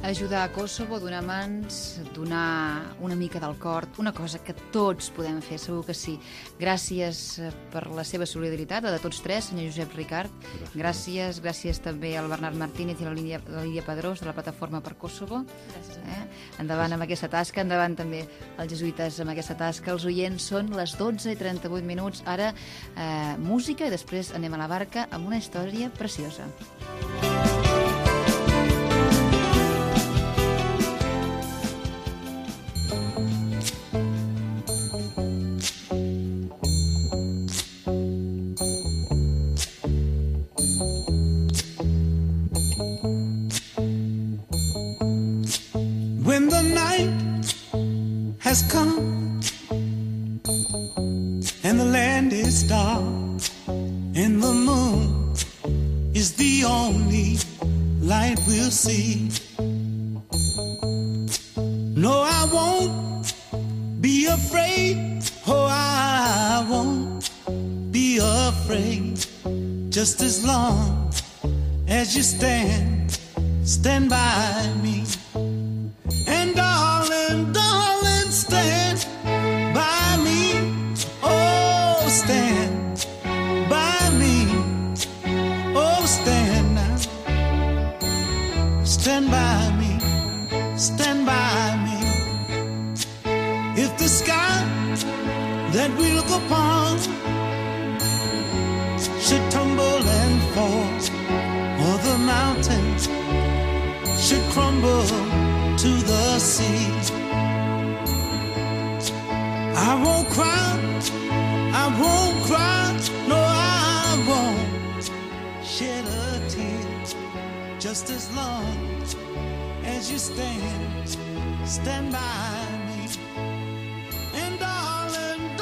Ajudar a Kosovo, donar mans, donar una mica del cor, una cosa que tots podem fer, segur que sí. Gràcies per la seva solidaritat, la de tots tres, senyor Josep Ricart. Gràcies també al Bernat Martínez i a la Lídia Pedrós, de la Plataforma per Kosovo. Endavant amb aquesta tasca, endavant també els jesuïtes amb aquesta tasca. Els oients, són les 12:38. Ara música, i després anem a la barca amb una història preciosa. When the night has come and the land is dark and the moon is the only light we'll see, no, I won't be afraid. Oh, I won't be afraid. Just as long as you stand by me. And darling, darling, stand by me. Oh, stand by me. Oh, stand now. Stand by me. Stand by me. If the sky that we look upon should tumble and fall, or the mountains should crumble to the sea, I won't cry, no, I won't shed a tear. Just as long as you stand by me. And darling,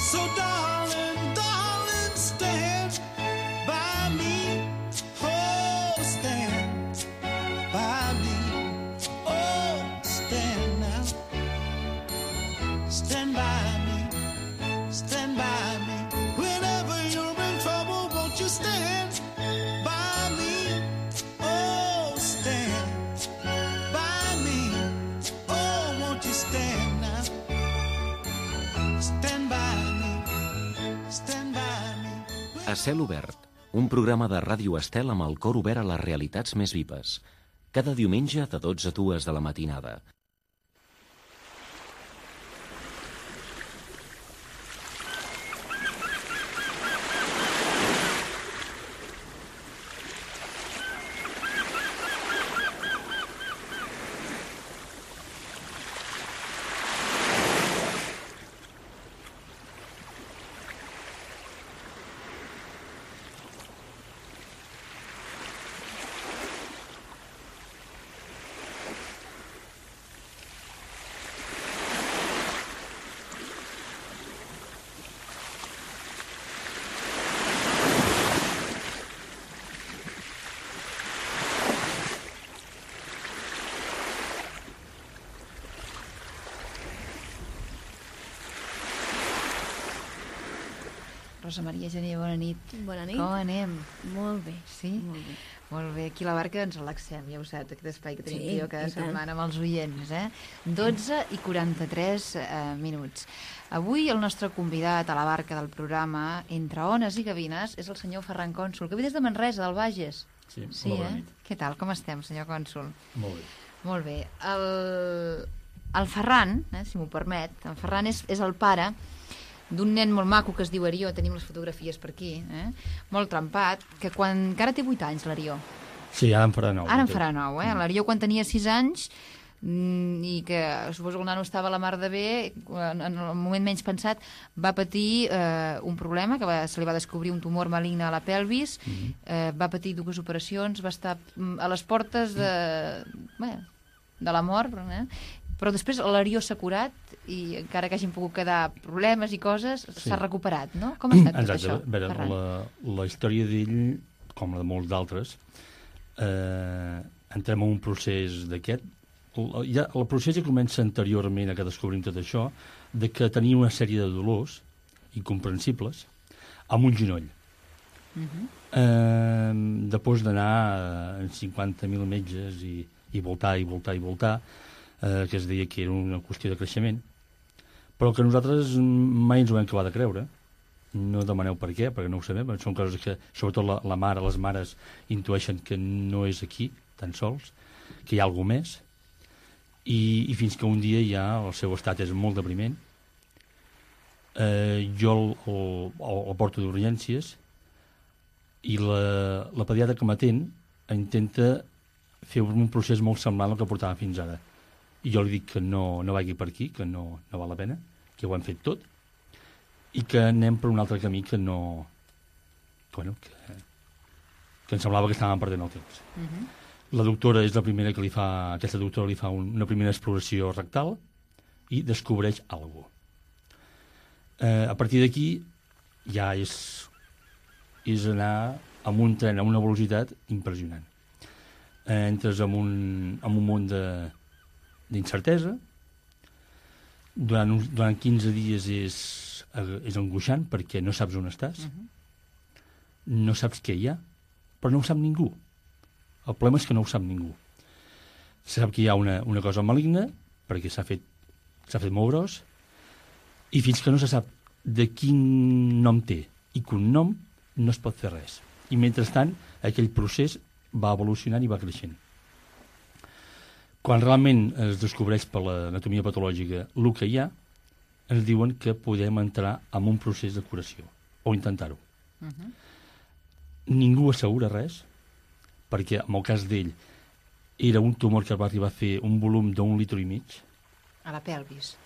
So darling, darling, stand by me. Oh, stand by me. Oh, stand now. Stand by me. Stand by me. Whenever you're in trouble, won't you stand by me? Oh, stand by me. Oh, won't you stand now? Stand by me. Stand by me. A cel obert, un programa de Ràdio Estel amb el cor obert a les realitats més vives. Cada diumenge de 12 a 2 de la matinada. Rosa Maria Gené, bona nit. Bona nit. Com anem? Molt bé. Sí? Molt bé. Molt bé, aquí a la barca ens relaxem, ja ho saps, aquest espai que tenim Sí, jo cada i tant. setmana amb els oients, 12 i 43 minuts. Avui el nostre convidat a la barca del programa Entre ones i gavines és el senyor Ferran Cònsul, que ve des de Manresa, del Bages. Sí, molt bona nit. Què tal, com estem, senyor Cònsul? Molt bé. Molt bé. El Ferran, si m'ho permet, el Ferran és el pare d'un nen molt maco que es diu Arió, tenim les fotografies per aquí, molt trempat, que quan encara té 8 anys, l'Arió. Sí, ara en farà 9. Ara en farà 9, L'Arió quan tenia 6 anys i que suposo que el nano estava a la mar de bé, en el moment menys pensat va patir un problema, que se li va descobrir un tumor maligne a la pelvis, va patir 2 operacions, va estar a les portes de la mort, però després l'Arió s'ha curat i encara que hagin pogut quedar problemes i coses, s'ha recuperat, no? Com ha estat tot això, Ferran? La història d'ell, com la de molts d'altres, entrem en un procés d'aquest. El procés ja comença anteriorment a que descobrim tot això, de que tenia una sèrie de dolors incomprensibles amb un genoll. Després d'anar en 50.000 metges i voltar, que es deia que era una qüestió de creixement, però que nosaltres mai ens ho vam acabar de creure. No demaneu per què, perquè no ho sabem. Són coses que, sobretot la mare, les mares intueixen que no és aquí, tan sols, que hi ha alguna més. I fins que un dia ja el seu estat és molt depriment. Jo el porto d'urgències i la pediatra que m'atén intenta fer un procés molt semblant al que portava fins ara. I jo li dic que no vagi per aquí, que no val la pena, que ho hem fet tot, i que anem per un altre camí que no... que em semblava que estàvem perdent el temps. La doctora és la primera que aquesta doctora li fa una primera exploració rectal i descobreix alguna cosa. A partir d'aquí ja és anar amb un tren a una velocitat impressionant. Entres en un món d'incertesa. Durant 15 dies és angoixant perquè no saps on estàs, no saps què hi ha, però no ho sap ningú. El problema és que no ho sap ningú. Se sap que hi ha una cosa maligna perquè s'ha fet molt gros, i fins que no se sap de quin nom té i cognom no es pot fer res. I mentrestant aquell procés va evolucionant i va creixent. Quan realment es descobreix per l'anatomia patològica el que hi ha, ens diuen que podem entrar en un procés de curació, o intentar-ho. Ningú assegura res, perquè en el cas d'ell era un tumor que va arribar a fer un volum d'1,5 litres. A la pelvis.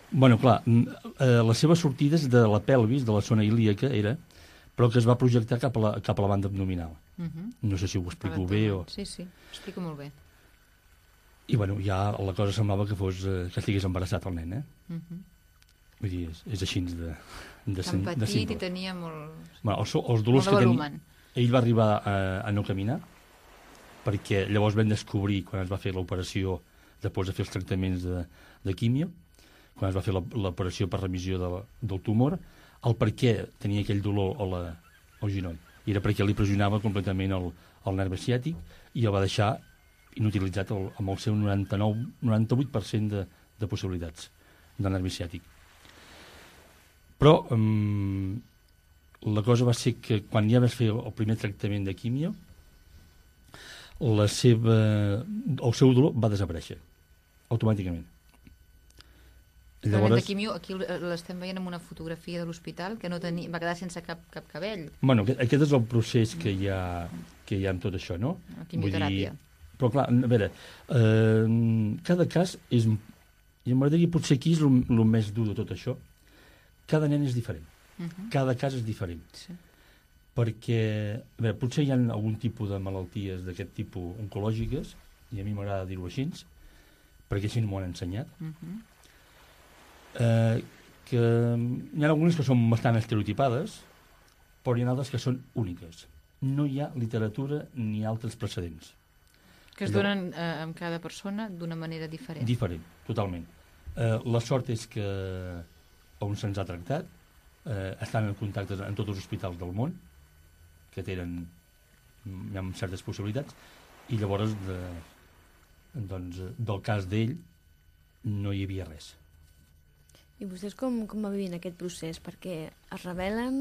Bueno, clar, la seva sortida és de la pelvis, de la zona ilíaca, però que es va projectar cap a la banda abdominal. No sé si ho explico bé o... Sí, explico molt bé. I, bueno, ja la cosa semblava que estigués embarassat el nen, Vull dir, és així de Tan petit simple. i tenia molt... Bueno, els dolors molt de que volumen. ell va arribar a no caminar, perquè llavors vam descobrir, quan es va fer l'operació, després de fer els tractaments de químio, quan es va fer l'operació per remissió del tumor, el per què tenia aquell dolor al genoll. I era perquè li pressionava completament el nervi ciàtic i el va deixar inutilitzat amb el seu 98% de possibilitats de nervi ciàtic. Però la cosa va ser que quan ja vas fer el primer tractament de químio, el seu dolor va desaparèixer automàticament. Llavors... de quimio, aquí l'estem veient en una fotografia de l'hospital que va quedar sense cap cabell. Bueno, aquest és el procés que hi ha amb tot això, no? La quimioteràpia. Però clar, a veure, cada cas és... I m'agradaria potser aquí és el més dur de tot això. Cada nen és diferent. Cada cas és diferent. Sí. Perquè, a veure, potser hi ha algun tipus de malalties d'aquest tipus oncològiques, i a mi m'agrada dir-ho així, perquè així m'ho han ensenyat, que hi ha algunes que són bastant estereotipades, però hi ha altres que són úniques. No hi ha literatura ni altres precedents. Que es donen amb cada persona d'una manera diferent. Diferent, totalment. La sort és que on se'ns ha tractat estan en contacte en tots els hospitals del món, que tenen certes possibilitats, i llavors del cas d'ell no hi havia res. I vostès com va vivint aquest procés? Perquè es rebel·len,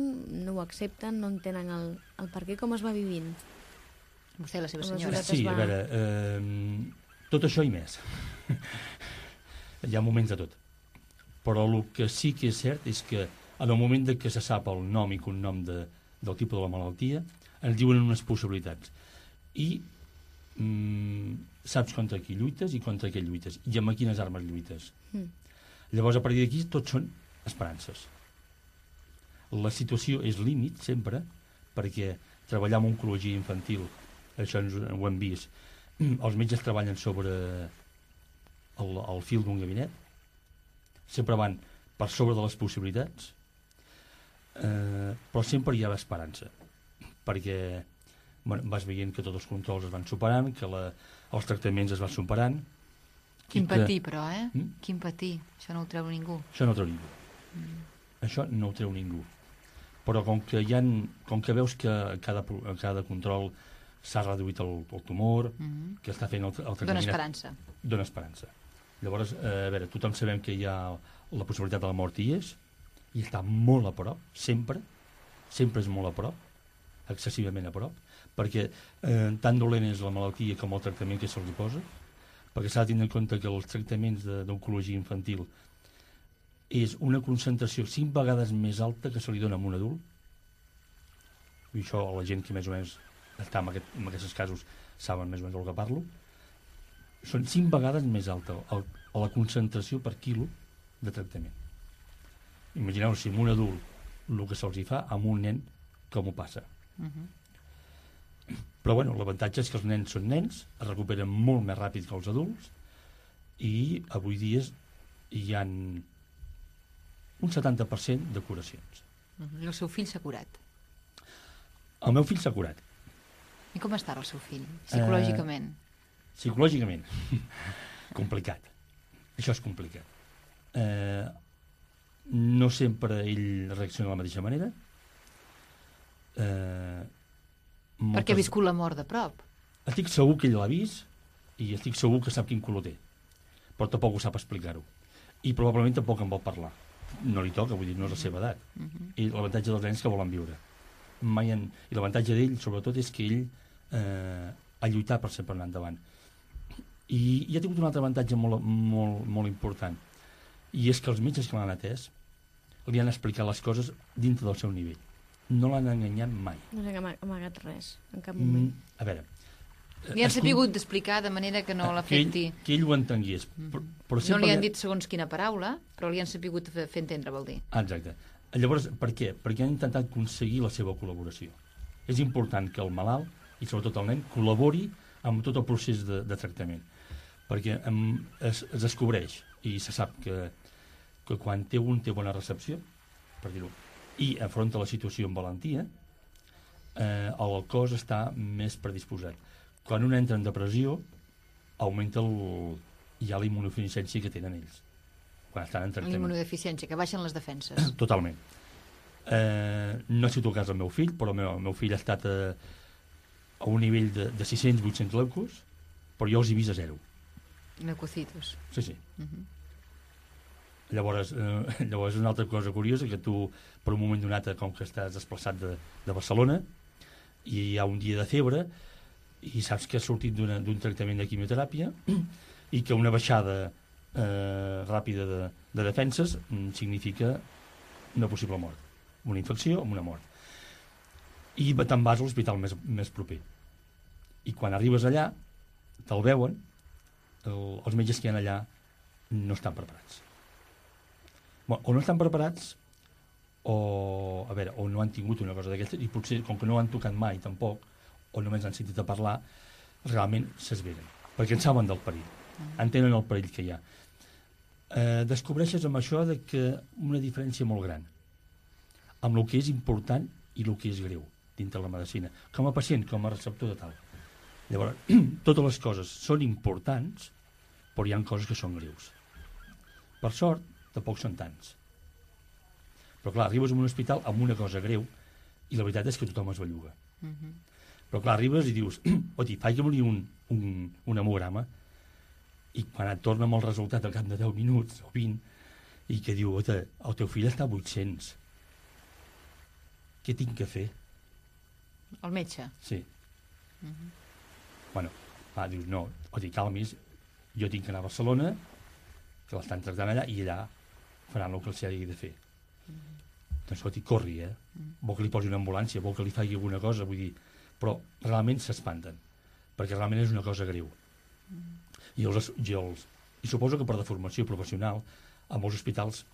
no ho accepten, no entenen el per què, com es va vivint? Vostè i la seva senyora. Sí, a veure, tot això i més. Hi ha moments de tot. Però el que sí que és cert és que en el moment que se sap el nom i cognom del tipus de la malaltia, ens diuen unes possibilitats. I saps contra qui lluites i contra què lluites, i amb quines armes lluites. Llavors, a partir d'aquí, tot són esperances. La situació és límit, sempre, perquè treballar amb oncologia infantil, això ho hem vist, els metges treballen sobre el fil d'un gabinet, sempre van per sobre de les possibilitats, però sempre hi ha esperança, perquè vas veient que tots els controls es van superant, que els tractaments es van superant. Quin patir, però, Quin patir. Això no ho treu ningú. Això no ho treu ningú. Això no ho treu ningú. Però com que veus que a cada control s'ha reduït el tumor, que està fent el tractament... Dóna esperança. Dóna esperança. Llavors, a veure, tothom sabem que hi ha la possibilitat de la mort i està molt a prop, sempre és molt a prop, excessivament a prop, perquè tan dolent és la malaltia com el tractament que se'ls posa, perquè s'ha de tenir en compte que els tractaments d'oncologia infantil és una concentració 5 vegades més alta que se li dona a un adult. I això la gent que més o menys està en aquests casos saben més o menys del que parlo. Són 5 vegades més alta la concentració per quilo de tractament. Imagineu si amb un adult el que se'ls fa, amb un nen com ho passa. Però bueno, l'avantatge és que els nens són nens, es recuperen molt més ràpid que els adults, i avui dia hi ha un 70% de curacions. El seu fill s'ha curat? El meu fill s'ha curat. I com està el seu fill, psicològicament? Psicològicament? Complicat. Això és complicat. No sempre ell reacciona de la mateixa manera. Perquè ha viscut la mort de prop. Estic segur que ell l'ha vist i estic segur que sap quin color té, però tampoc ho sap explicar-ho, i probablement tampoc en vol parlar. No li toca, vull dir, no és la seva edat. I l'avantatge dels nens que volen viure. I l'avantatge d'ell, sobretot, és que ell ha lluitat per sempre anar endavant. I ha tingut un altre avantatge molt, molt, molt important, i és que els metges que l'han atès li han explicat les coses dintre del seu nivell. No l'han enganyat mai. No s'ha amagat res, en cap moment. A veure... Li han sapigut d'explicar de manera que no l'afecti. Que ell ho entengués. Però no li han dit segons quina paraula, però li han sapigut fer entendre, vol dir. Exacte. Llavors, per què? Perquè han intentat aconseguir la seva col·laboració. És important que el malalt, i sobretot el nen, col·labori amb tot el procés de tractament. Perquè es descobreix, i se sap que que quan té bona recepció, per dir-ho, i afronta la situació amb valentia, el cos està més predisposat. Quan un entra en depressió, augmenta ja la immunodeficiència que tenen ells. Quan estan en tractament. L'immunodeficiència, que baixen les defenses. Totalment. No ha sigut el cas del meu fill, però el meu fill ha estat a un nivell de 600-800 leucos, però jo els he vist a 0. Leucocitos. Sí. Llavors, una altra cosa curiosa, que tu, per un moment donat, com que estàs desplaçat de Barcelona, i hi ha un dia de febre, i saps que has sortit d'un tractament de quimioteràpia, i que una baixada ràpida de defenses significa una possible mort. Una infecció amb una mort. I te'n vas a l'hospital més proper. I quan arribes allà, te'l veuen, els metges que hi ha allà no estan preparats. O no estan preparats, o no han tingut una cosa d'aquestes, i potser, com que no han tocat mai tampoc, o només han sentit a parlar, realment s'esveren, perquè en saben del perill, entenen el perill que hi ha. Descobreixes amb això que una diferència molt gran amb el que és important i el que és greu dintre la medicina, com a pacient, com a receptor de tal. Llavors, totes les coses són importants, però hi ha coses que són greus. Per sort, tampoc són tants. Però clar, arribes a un hospital amb una cosa greu i la veritat és que tothom es belluga. Però clar, arribes i dius, faig-me un hemograma, i quan et torna amb el resultat al cap de 10 minuts o 20, i que diu, el teu fill està a 800. Què tinc que fer? El metge? Sí. Dius, no, calmis, jo tinc que anar a Barcelona, que l'estan tractant allà, i allà faran el que els hagi de fer. Doncs, corri, vol que li posi una ambulància, vol que li faci alguna cosa, vull dir, però realment s'espanten, perquè realment és una cosa greu. I suposo que per deformació professional, a molts hospitals,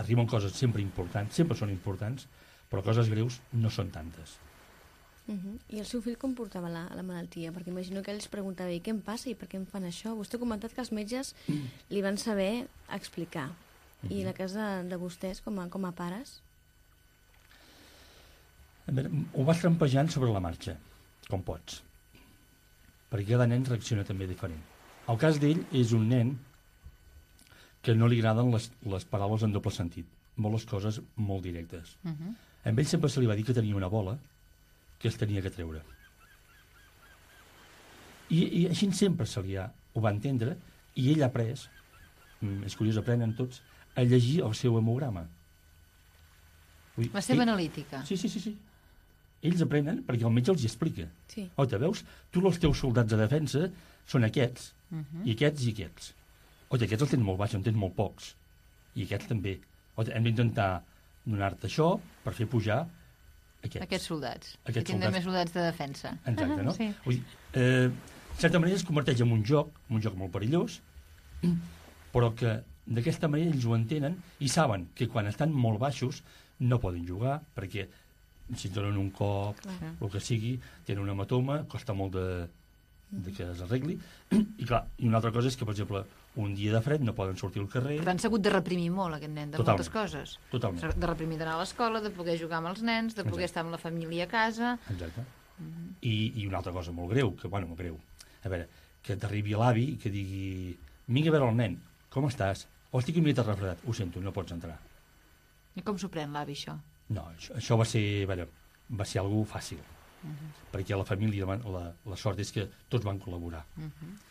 arriben coses sempre importants, sempre són importants, però coses greus no són tantes. I el seu fill com portava la malaltia? Perquè imagino que ell es preguntava, i què em passa i per què em fan això? Vostè ha comentat que els metges li van saber explicar. I la casa de vostès, com a pares? Ho vas trampejant sobre la marxa, com pots. Perquè cada nen reacciona també diferent. El cas d'ell és un nen que no li agraden les paraules en doble sentit. Vol les coses molt directes. A ell sempre se li va dir que tenia una bola que es tenia que treure. I així sempre ho va entendre, i ell ha après, és curiós, aprenen tots, a llegir el seu hemograma. La seva analítica. Sí. Ells aprenen perquè el metge els hi explica. Sí. Veus? Tu els teus soldats de defensa són aquests, i aquests, i aquests. Aquests els tens molt baix, en tens molt pocs. I aquests també. Hem d'intentar donar-te això per fer pujar aquests soldats. Aquests que tindran més soldats de defensa. Exacte, no? Sí. Vull dir, en certa manera es converteix en un joc molt perillós, però que d'aquesta manera ells ho entenen i saben que quan estan molt baixos no poden jugar, perquè si et donen un cop, el que sigui, tenen un hematoma, costa molt de que es arregli. I clar, i una altra cosa és que, per exemple, un dia de fred no poden sortir al carrer. Però han sabut de reprimir molt, aquest nen, de moltes coses. Totalment. De reprimir d'anar a l'escola, de poder jugar amb els nens, de poder estar amb la família a casa. Exacte. I una altra cosa molt greu, molt greu. A veure, que t'arribi l'avi i que digui, vinga a veure el nen, com estàs? Estic una mica refredat. Ho sento, no pots entrar. I com s'ho pren l'avi, això? No, això va ser algú fàcil. Perquè a la família la sort és que tots van col·laborar.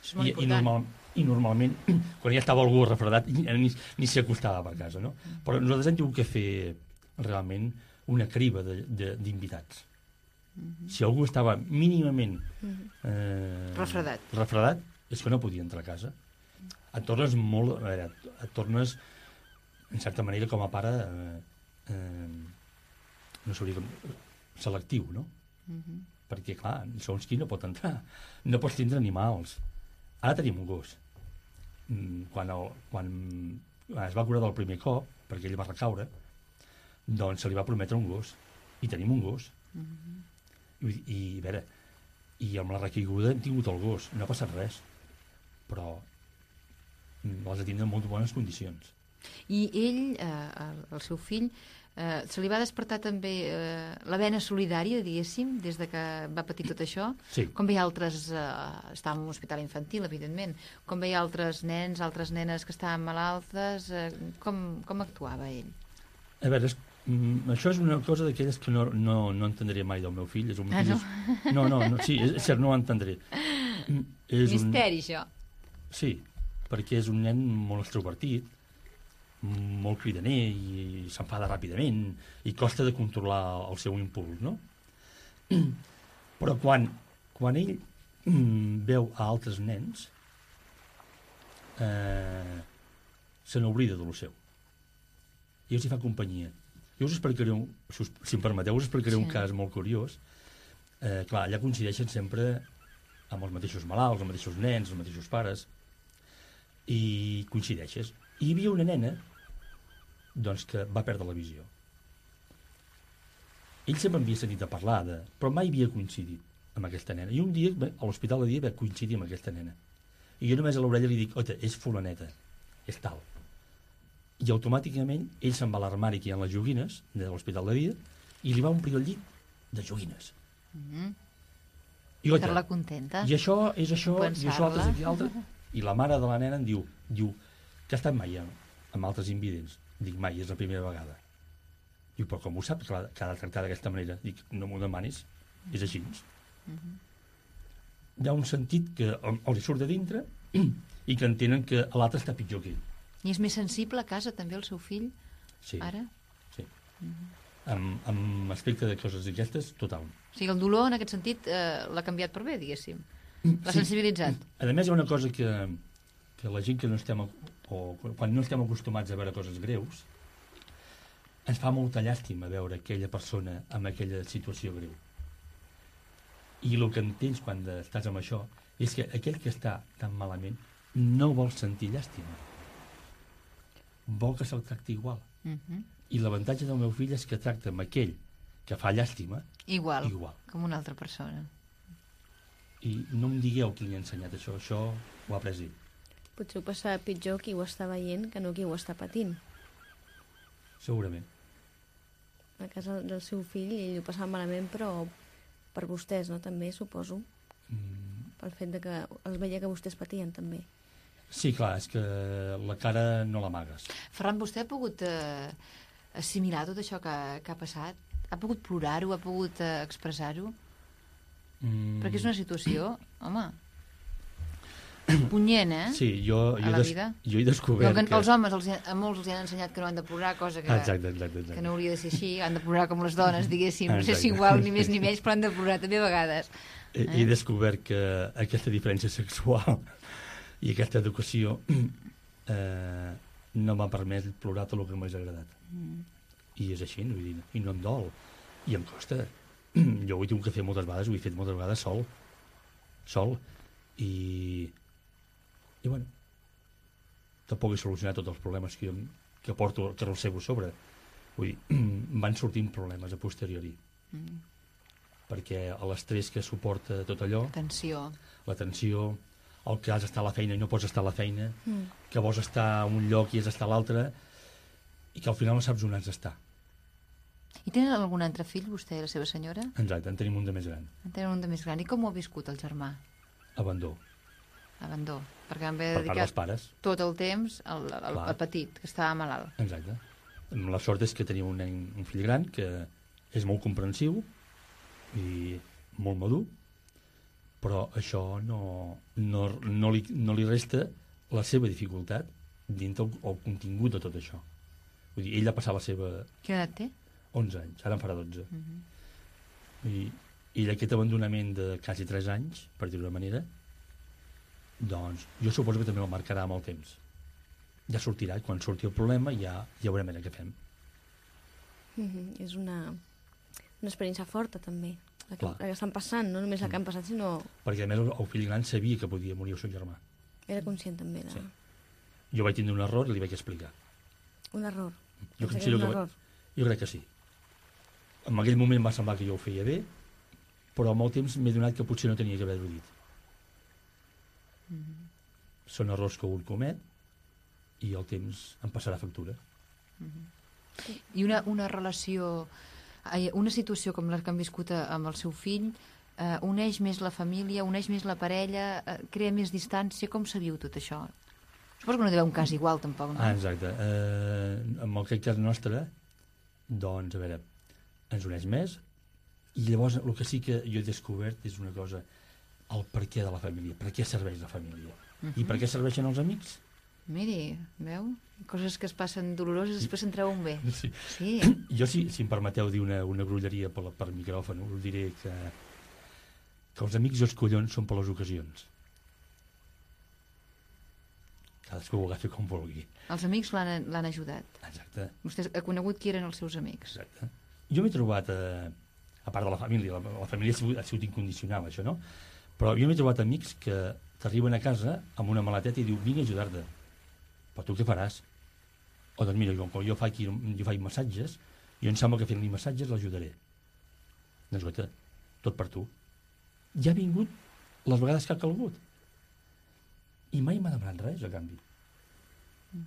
És molt important. I normalment, quan ja estava algú refredat, ni s'hi acostava per casa, no? Però nosaltres hem tingut que fer realment una criba d'invitats. Si algú estava mínimament refredat, és que no podia entrar a casa. Et tornes en certa manera, com a pare, no sabria com, selectiu, no? Perquè, clar, segons qui no pot entrar. No pots tindre animals. Ara tenim un gos. Quan es va curar del primer cop, perquè ell va recaure, doncs se li va prometre un gos. I tenim un gos. I a veure, i amb la recaiguda hem tingut el gos. No ha passat res. Però l'has de tindre en molt bones condicions. I ell, el seu fill, se li va despertar també la vena solidària, diguéssim, des de que va patir tot això? Sí. Com veia altres... estava en un hospital infantil, evidentment. Com veia altres nens, altres nenes que estaven malaltes? Com actuava ell? A veure, això és una cosa d'aquelles que no entendré mai del meu fill. És un no? No, sí, és cert, no ho entendré. Misteri, això. Sí, perquè és un nen molt extrovertit, molt cridaner i s'enfada ràpidament i costa de controlar el seu impuls, no? Però quan ell veu a altres nens se n'oblida de lo seu i els hi fa companyia. Jo us explicaré, si em permeteu, us explicaré un cas molt curiós. Clar, allà coincideixen sempre amb els mateixos malalts, els mateixos nens, els mateixos pares, i coincideixes. I hi havia una nena doncs, que va perdre la visió. Ell sempre havia sentit a parlar però mai havia coincidit amb aquesta nena. I un dia, a l'hospital de dia, va coincidir amb aquesta nena. I jo només a l'orella li dic, ota, és fulaneta, és tal. I automàticament ell se'n va a l'armari que hi ha les joguines de l'hospital de dia i li va omplir el llit de joguines. I, ota, fer-la contenta. I això és això, i això altre, i altre. I la mare de la nena em diu que ha estat mai amb altres invidents. Dic, mai, és la primera vegada. Diu, però com ho saps, que ha de tractar d'aquesta manera? Dic, no m'ho demanis, és així. Hi ha un sentit que els surt de dintre i que entenen que l'altre està pitjor que ell. I és més sensible a casa també el seu fill? Sí. Ara? Sí. Amb aspecte de coses d'aquestes, total. O sigui, el dolor, en aquest sentit, l'ha canviat per bé, diguéssim. L'ha sensibilitzat. A més, hi ha una cosa que la gent que no estem... o quan no estem acostumats a veure coses greus, ens fa molta llàstima veure aquella persona amb aquella situació greu. I el que entens quan estàs amb això és que aquell que està tan malament no vol sentir llàstima. Vol que se'l tracti igual. I l'avantatge del meu fill és que tracta amb aquell que fa llàstima igual. Com una altra persona. I no em digueu qui li ha ensenyat això ho ha après ell. Potser ho passava pitjor qui ho està veient que no qui ho està patint. Segurament. A casa del seu fill ell ho passava malament, però per vostès, no? També, suposo. Pel fet de que els veia que vostès patien, també. Sí, clar, és que la cara no l'amagues. Ferran, vostè ha pogut assimilar tot això que ha passat? Ha pogut plorar-ho? Ha pogut expressar-ho? Perquè és una situació, home, punyent, eh? Sí, jo he descobert que... Els homes, a molts els han ensenyat que no han de plorar, cosa que, exacte. Que no hauria de ser així. Han de plorar com les dones, diguéssim. No sé si igual, ni més ni menys, però han de plorar també a vegades. He descobert que aquesta diferència sexual i aquesta educació no m'ha permès plorar tot el que m'ha agradat. I és així, vull dir, i no em dol. I em costa. Jo ho he tingut que fer moltes vegades, ho he fet moltes vegades sol. I bueno, tampoc he solucionat tots els problemes que porto, que arrossego sobre. Vull dir, van sortint problemes a posteriori. Perquè l'estrès que suporta tot allò... La tensió, el que has d'estar a la feina i no pots estar a la feina, que vols estar a un lloc i has d'estar a l'altre, i que al final no saps on has d'estar. I tenen algun altre fill, vostè i la seva senyora? Exacte, en tenim un de més gran. I com ho ha viscut el germà? Abandó. Perquè van haver per part dels pares. Tot el temps al petit, que estava malalt. Exacte. La sort és que tenia un fill gran que és molt comprensiu i molt madur, però això no li resta la seva dificultat dintre el contingut de tot això. Vull dir, ell ha passat la seva... Quina edat té? 11 anys, ara en farà 12. I aquest abandonament de quasi 3 anys, per dir-ho d'una manera, doncs jo suposo que també el marcarà amb el temps. Ja sortirà, quan surti el problema ja veurem què fem. És una experiència forta, també, la que estan passant, no només la que han passat, sinó... Perquè, a més, el fill gran sabia que podia morir el seu germà. Era conscient, també, de... Sí. Jo vaig tindre un error i li vaig explicar. Un error? Jo crec que sí. En aquell moment va semblar que jo ho feia bé, però amb el temps m'he donat que potser no tenia que haver-ho dit. Són errors que un comet i el temps em passarà factura. I una relació, una situació com la que han viscut amb el seu fill, uneix més la família, uneix més la parella, crea més distància. Com se viu tot això? Suposo que no deu haver un cas igual, tampoc, no? Exacte. En aquest cas nostre, doncs, a veure, ens uneix més, i llavors el que sí que jo he descobert és una cosa, el per què de la família, per què serveix la família, i per què serveixen els amics. Miri, veu? Coses que es passen doloroses, després se'n treuen bé. Sí. Sí. Jo, si em permeteu dir una brolleria per micròfon, us diré que els amics i els collons són per les ocasions. Cadascú ho agafi com vulgui. Els amics l'han ajudat. Exacte. Vostè ha conegut qui eren els seus amics. Exacte. Jo m'he trobat, a part de la família, la família ha sigut incondicional, això, no? Però jo m'he trobat amics que t'arriben a casa amb una maleteta i diu, vinc a ajudar-te. Però tu què faràs? O doncs mira, com jo faig massatges, jo em sembla que fent-li massatges l'ajudaré. Doncs guaita, tot per tu. Ja ha vingut les vegades que ha calgut. I mai m'ha demanat res, a canvi. O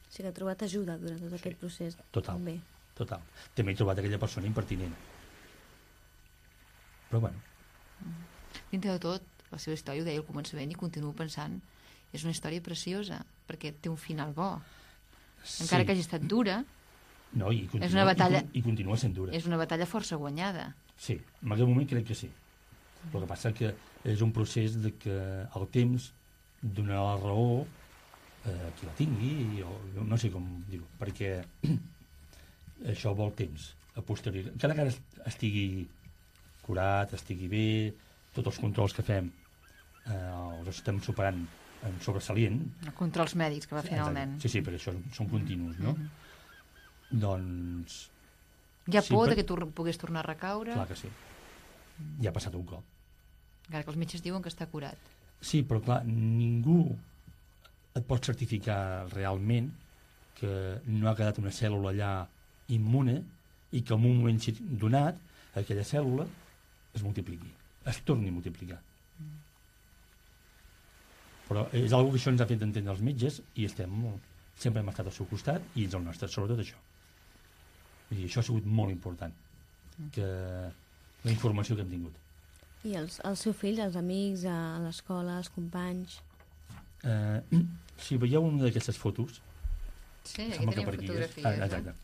sigui que ha trobat ajuda durant tot aquest procés. Total, També. total. També he trobat aquella persona impertinent. Però bueno. Dintre de tot, la seva història, ho deia al començament, i continuo pensant, és una història preciosa, perquè té un final bo. Encara que hagi estat dura, no, i continua, és una batalla, i continua sent dura. És una batalla força guanyada. Sí, en aquest moment crec que sí. El que passa que és un procés de que el temps donarà la raó a qui la tingui, o no sé com dir-ho, perquè això vol temps a posteriori. Cada que estigui curat, estigui bé, tots els controls que fem els estem superant en sobresalient. Controls mèdics que va fent el nen. Sí, perquè això són continus, no? Doncs... Hi ha por que pogués tornar a recaure? Clar que sí. Ja ha passat un cop. Encara que els metges diuen que està curat. Sí, però clar, ningú et pot certificar realment que no ha quedat una cèl·lula allà immune i que en un moment donat aquella cèl·lula es multipliqui, es torni a multiplicar. Però és una que això ens ha fet entendre els metges i sempre hem estat al seu costat i ens el nostre, sobretot això. I això ha sigut molt important, que la informació que hem tingut. I el seu fill, els amics, a l'escola, els companys... Si veieu una d'aquestes fotos... Sí, aquí tenim fotografies. Exacte.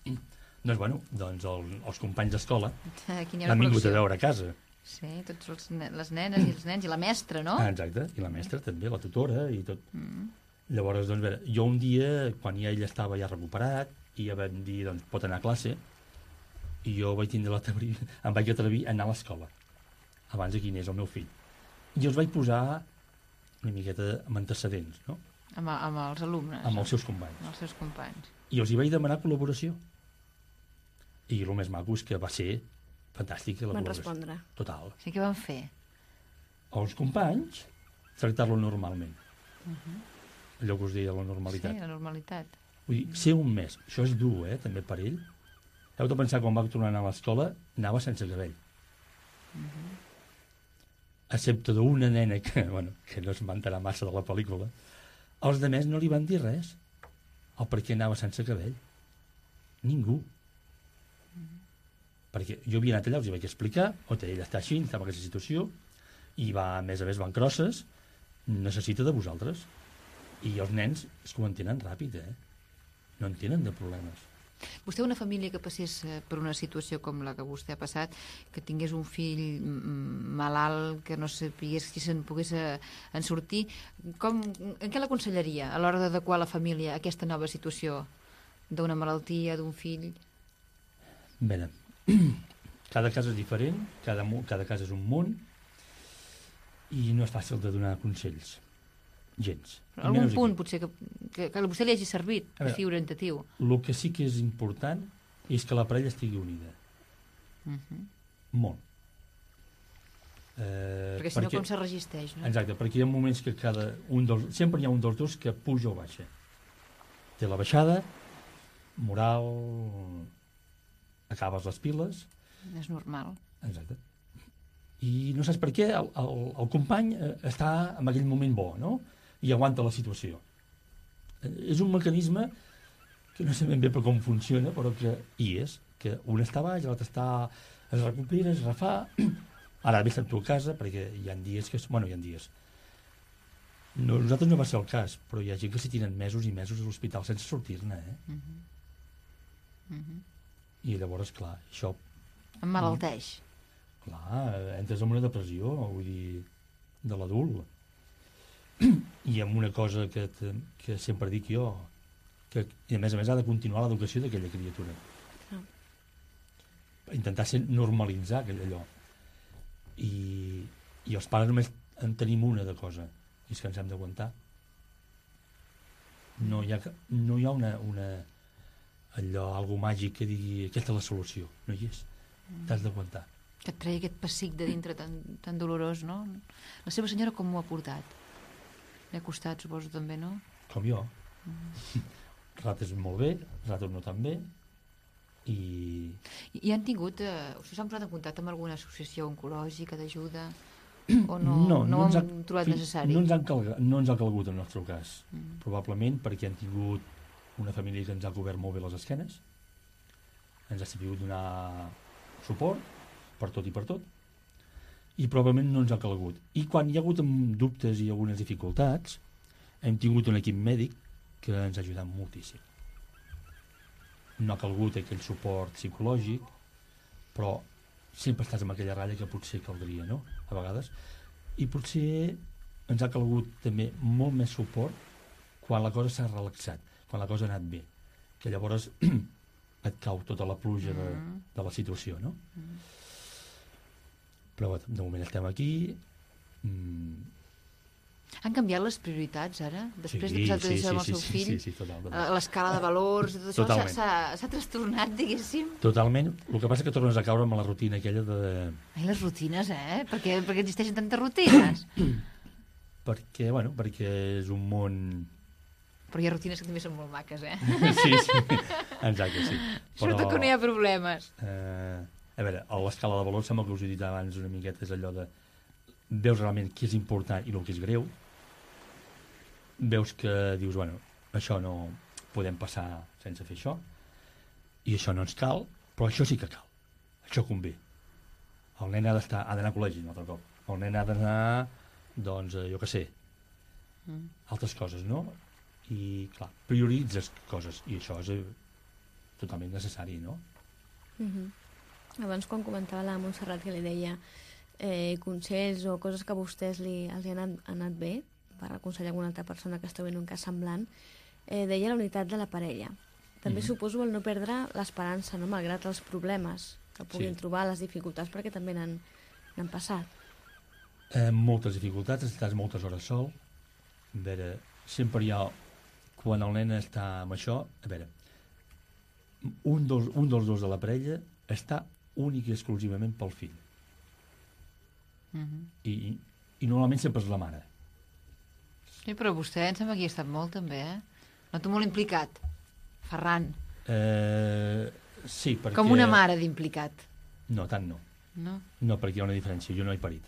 Doncs, bueno, els companys d'escola l'han vingut a veure a casa. Sí, tots les nenes i els nens, i la mestra, no? Exacte, i la mestra també, la tutora i tot. Llavors, doncs, veure, jo un dia, quan ja ell estava ja recuperat, i ja vam dir, doncs, pot anar a classe, i jo vaig tindre em vaig atrevir a anar a l'escola, abans de quin és el meu fill. I els vaig posar una miqueta amb antecedents, no? Amb els alumnes. Amb els seus companys. Amb els seus companys. I els hi vaig demanar col·laboració. I el més maco és que va ser fantàstica la col·laboració. Van respondre. Total. Sí, què van fer? Els companys, tractar-lo normalment. Allò que us deia, la normalitat. Sí, la normalitat. Vull dir, ser un mes, això és dur, també per ell. Heu de pensar, quan va tornar a anar a l'escola, anava sense cabell. Excepte d'una nena que no es vantarà massa de la pel·lícula, els de més no li van dir res. El per què anava sense cabell. Ningú. Perquè jo havia anat allà, els hi vaig explicar, ell està així, està en aquesta situació, i a més a més van crosses, necessita de vosaltres. I els nens és que ho entenen ràpid, no en tenen de problemes. Vostè, una família que passés per una situació com la que vostè ha passat, que tingués un fill malalt, que no sapigués si se'n pogués en sortir, en què l'aconsellaria a l'hora d'adequar la família a aquesta nova situació d'una malaltia, d'un fill? Bé, cada cas és diferent, cada cas és un món, i no és fàcil de donar consells. Gens. Algun punt, potser, que a vostè li hagi servit, per fi orientatiu. El que sí que és important és que la parella estigui unida. Molt. Perquè si no, com se resisteix, no? Exacte, perquè hi ha moments que sempre hi ha un dels dos que puja o baixa. Té la baixada, moral, acabes les piles... És normal. Exacte. I no saps per què el company està en aquell moment bo, no? I aguanta la situació. És un mecanisme que no sé ben bé per com funciona, però que hi és, que un està baix, l'altre es recupera, es refà. Ara ve estat tu a casa, perquè hi ha dies que... Bueno, hi ha dies. No, nosaltres no va ser el cas, però hi ha gent que s'hi tiren mesos i mesos a l'hospital sense sortir-ne, I llavors, clar, això... Emmalalteix. Clar, entres en una depressió, vull dir, de l'adult. I amb una cosa que sempre dic jo, que a més ha de continuar l'educació d'aquella criatura. Intentar normalitzar aquell allò. I els pares només en tenim una de cosa, i és que ens hem d'aguantar. No hi ha algo màgic que digui aquesta és la solució, no hi és. T'has d'aguantar. Que et treia aquest pessic de dintre tan dolorós, no? La seva senyora com m'ho ha portat? Li ha costat, suposo, també, no? Com jo. Rates molt bé, rates no tan bé, I han tingut... us han posat en contacte amb alguna associació oncològica d'ajuda? O no ho han trobat necessari? No ens ha calgut en el nostre cas. Probablement perquè han tingut una família que ens ha cobert molt bé les esquenes, ens ha sabut donar suport per tot i per tot, i probablement no ens ha calgut. I quan hi ha hagut dubtes i algunes dificultats, hem tingut un equip mèdic que ens ha ajudat moltíssim. No ha calgut aquell suport psicològic, però sempre estàs amb aquella ratlla que potser caldria, no?, a vegades. I potser ens ha calgut també molt més suport quan la cosa s'ha relaxat, quan la cosa ha anat bé, que llavors et cau tota la pluja de la situació, no? Però de moment estem aquí. Han canviat les prioritats, ara? Després de posar tot això amb el seu fill? Sí, totalment. L'escala de valors, tot això s'ha trastornat, diguéssim? Totalment. El que passa és que tornes a caure amb la rutina aquella de... Ai, les rutines, perquè existeixen tantes rutines? perquè és un món... Però hi ha rutines que també són molt maques, Sí, exacte, sí. Sobretot que no hi ha problemes. A veure, l'escala de valors, sembla que us he dit abans una miqueta, és allò de... Veus realment què és important i el que és greu. Veus que dius, bueno, això no podem passar sense fer això, i això no ens cal, però això sí que cal. Això convé. El nen ha d'anar a col·legi un altre cop. El nen ha d'anar, doncs, jo què sé, altres coses, no? I, clar, prioritzes coses, i això és totalment necessari, no? Abans, quan comentava la Montserrat que li deia consells o coses que a vostès els han anat bé per aconsellar alguna altra persona que està en un cas semblant, deia la unitat de la parella. També suposo el no perdre l'esperança, no? Malgrat els problemes que puguin trobar, les dificultats, perquè també n'han passat. Moltes dificultats, estàs moltes hores sol. A veure, sempre hi ha, quan el nen està amb això, a veure, un dels dos de la parella està únic i exclusivament pel fill. I normalment sempre és la mare. Sí, però vostè em sembla que hi ha estat molt, també, Noto molt implicat, Ferran. Sí, perquè... Com una mare d'implicat. No, tant no. No? No, perquè hi ha una diferència. Jo no he parit.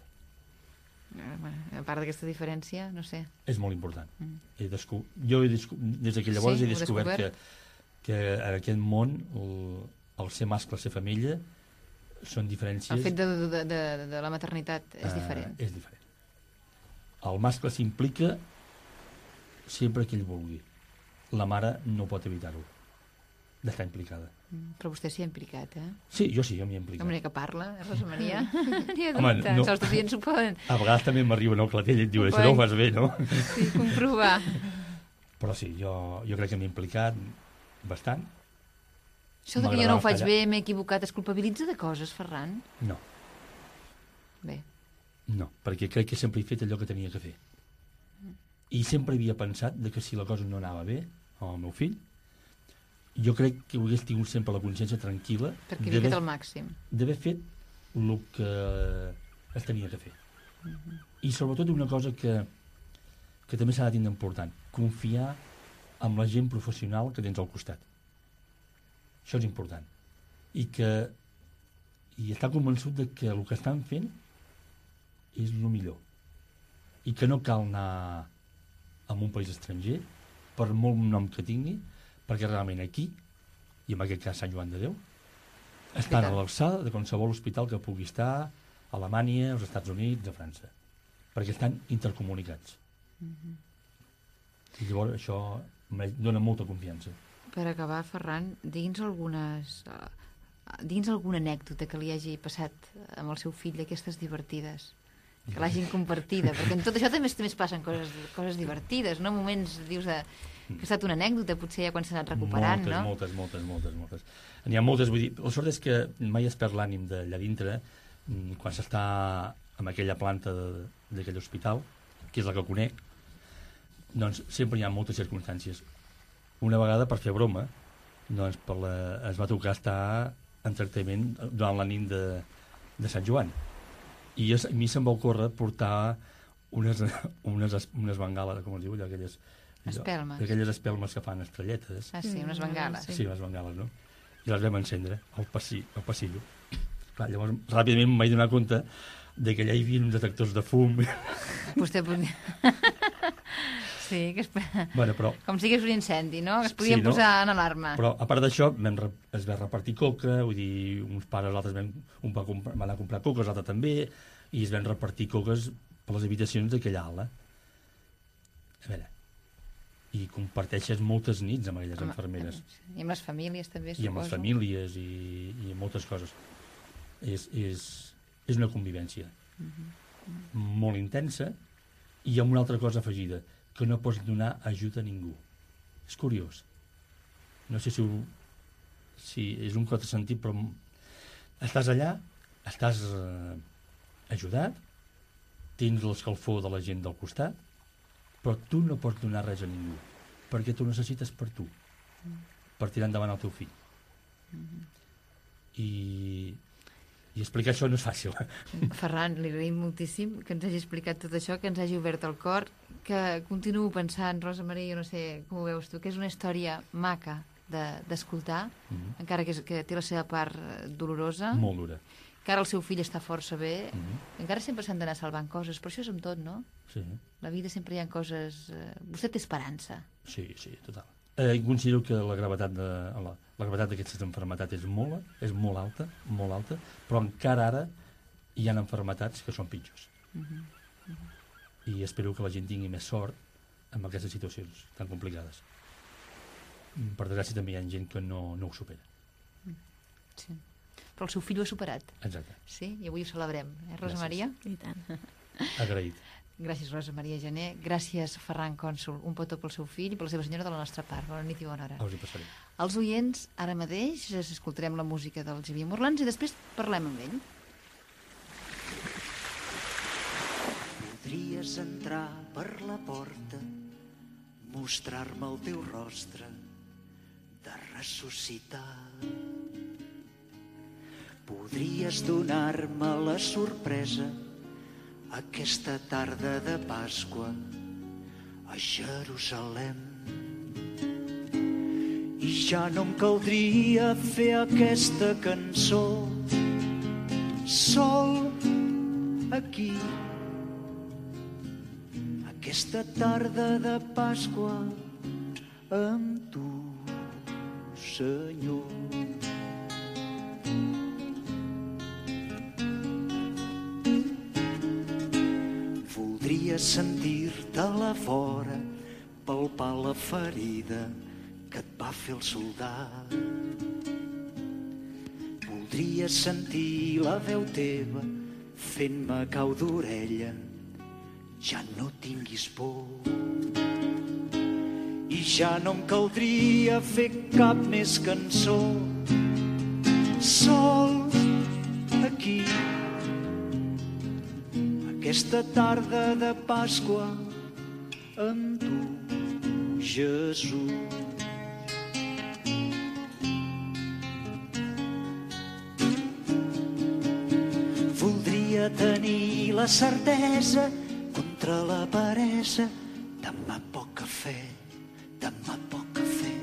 A part d'aquesta diferència, no sé. És molt important. Jo des que llavors he descobert que en aquest món el ser mascle, ser família, són diferències... El fet de la maternitat és diferent. És diferent. El mascle s'implica sempre que ell vulgui. La mare no pot evitar-ho, d'estar implicada. Però vostè s'hi ha implicat, Sí, jo m'hi he implicat. Com que parla, Rosa Maria? Home, no. Els estudiants ho poden... A vegades també m'arriba el clatell i et diu, això no ho fas bé, no? Sí, comprovar. Però sí, jo crec que m'he implicat bastant. Això que jo no ho faig bé, m'he equivocat, es culpabilitza de coses, Ferran? No. Bé. No, perquè crec que sempre he fet allò que tenia que fer. I sempre havia pensat que si la cosa no anava bé amb el meu fill, jo crec que hagués tingut sempre la consciència tranquil·la perquè havia fet el màxim. D'haver fet el que es tenia que fer. I sobretot una cosa que també s'ha de tindre important, confiar en la gent professional que tens al costat. Això és important. I estar convençut que el que estan fent és el millor. I que no cal anar a un país estranger per molt nom que tingui, perquè realment aquí, i en aquest cas Sant Joan de Déu, estan a l'alçada de qualsevol hospital que pugui estar a Alemanya, als Estats Units, a França, perquè estan intercomunicats. I llavors això em dona molta confiança. Per acabar, Ferran, digui'ns alguna anècdota que li hagi passat amb el seu fill d'aquestes divertides, que l'hagin compartida, perquè en tot això també es passen coses divertides, no? Moments, dius, que ha estat una anècdota, potser ja quan s'ha anat recuperant, no? Moltes. N'hi ha moltes, vull dir, la sort és que mai es perd l'ànim d'allà dintre, quan s'està en aquella planta d'aquell hospital, que és la que conec, doncs sempre hi ha moltes circumstàncies. Una vegada, per fer broma, doncs es va tocar estar en tractament durant la nit de Sant Joan. I a mi se'm va ocórrer portar unes bengales, com es diu, aquelles... Espelmes. Aquelles espelmes que fan estrelletes. Ah, sí, unes bengales. Sí, unes bengales, no? I les vam encendre al passillo. Clar, llavors, ràpidament em vaig donar compte que allà hi havia uns detectors de fum. Vostè podia... Sí, bueno, però... com si hagués un incendi, no? Que es podien posar en alarma. Però, a part d'això, es va repartir coca, vull dir, uns pares, altres un va anar a comprar coques, l'altre també, i es van repartir coques per les habitacions d'aquella ala. A veure, i comparteixes moltes nits amb aquelles infermeres. I amb les famílies també, suposo. I amb les famílies i moltes coses. És una convivència molt intensa i amb una altra cosa afegida, que no pots donar ajuda a ningú. És curiós. No sé si és un contrasentit, però estàs allà, estàs ajudat, tens l'escalfor de la gent del costat, però tu no pots donar res a ningú, perquè tu necessites per tu, per tirar endavant el teu fill. I explicar això no és fàcil. Ferran, li agraïm moltíssim que ens hagi explicat tot això, que ens hagi obert el cor, que continuo pensant, Rosa Maria, jo no sé com ho veus tu, que és una història maca d'escoltar, encara que té la seva part dolorosa. Molt dura. Que ara el seu fill està força bé. Encara sempre s'han d'anar salvant coses, però això és amb tot, no? Sí. La vida sempre hi ha coses... Vostè té esperança. Sí, total. Considero que la gravetat d'aquestes malalties és molt alta, però encara ara hi ha malalties que són pitjors. I espero que la gent tingui més sort amb aquestes situacions tan complicades. Per desgràcia també hi ha gent que no ho supera. Sí. Però el seu fill ho ha superat. Exacte. Sí, i avui ho celebrem, Rosa Maria? I tant. Agraït. Gràcies, Rosa Maria Gené. Gràcies, Ferran Cònsol. Un petó pel seu fill i per la seva senyora de la nostra part. Bona nit i bona hora. Us hi passaré. Els oients, ara mateix, escoltarem la música del Xavier Morlans i després parlem amb ell. Podries entrar per la porta, mostrar-me el teu rostre de ressuscitar. Podries donar-me la sorpresa aquesta tarda de Pasqua a Jerusalem. I ja no em caldria fer aquesta cançó sol aquí. Aquesta tarda de Pasqua amb tu, Senyor. Voldria sentir-te a la vora, palpar la ferida que et va fer el soldat. Voldria sentir la veu teva fent-me cau d'orella, ja no tinguis por. I ja no em caldria fer cap més cançó, sol aquí. Aquesta tarda de Pasqua amb tu, Jesús. Voldria tenir la certesa contra la peresa, demà poc cafè, demà poc cafè.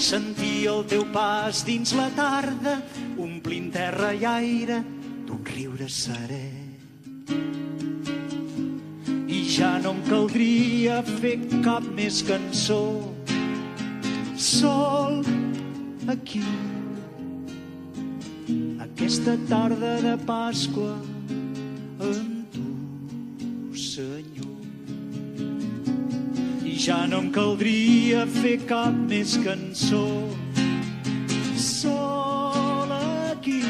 Sentir el teu pas dins la tarda, omplint terra i aire d'un riure serè. I ja no em caldria fer cap més cançó, sol aquí, aquesta tarda de Pasqua amb tu, Senyor. I ja no em caldria fer cap més cançó, sol aquí,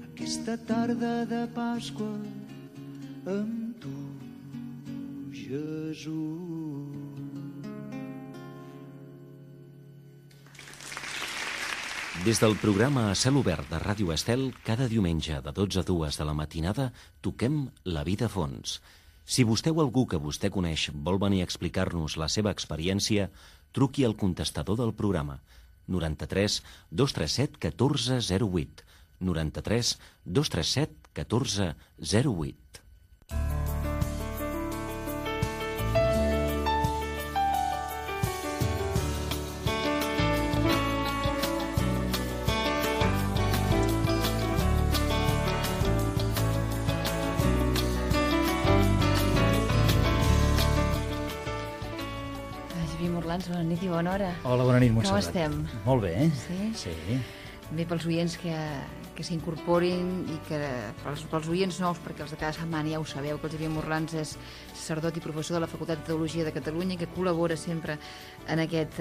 aquesta tarda de Pasqua amb tu, Jesús. Des del programa A Cel Obert de Ràdio Estel, cada diumenge de 12 a 2 de la matinada toquem La vida a fons. Si vostè o algú que vostè coneix vol venir a explicar-nos la seva experiència, truqui al contestador del programa 93 237 14 08 93 237 14 08. Bona nit i bona hora. Hola, bona nit, Montserrat. Com estem? Molt bé, eh? Sí? Sí. Bé pels oients que s'incorporin i que pels oients nous, perquè els de cada setmana ja ho sabeu, que el Xavier Morlans és sacerdot i professor de la Facultat de Teologia de Catalunya i que col·labora sempre en aquest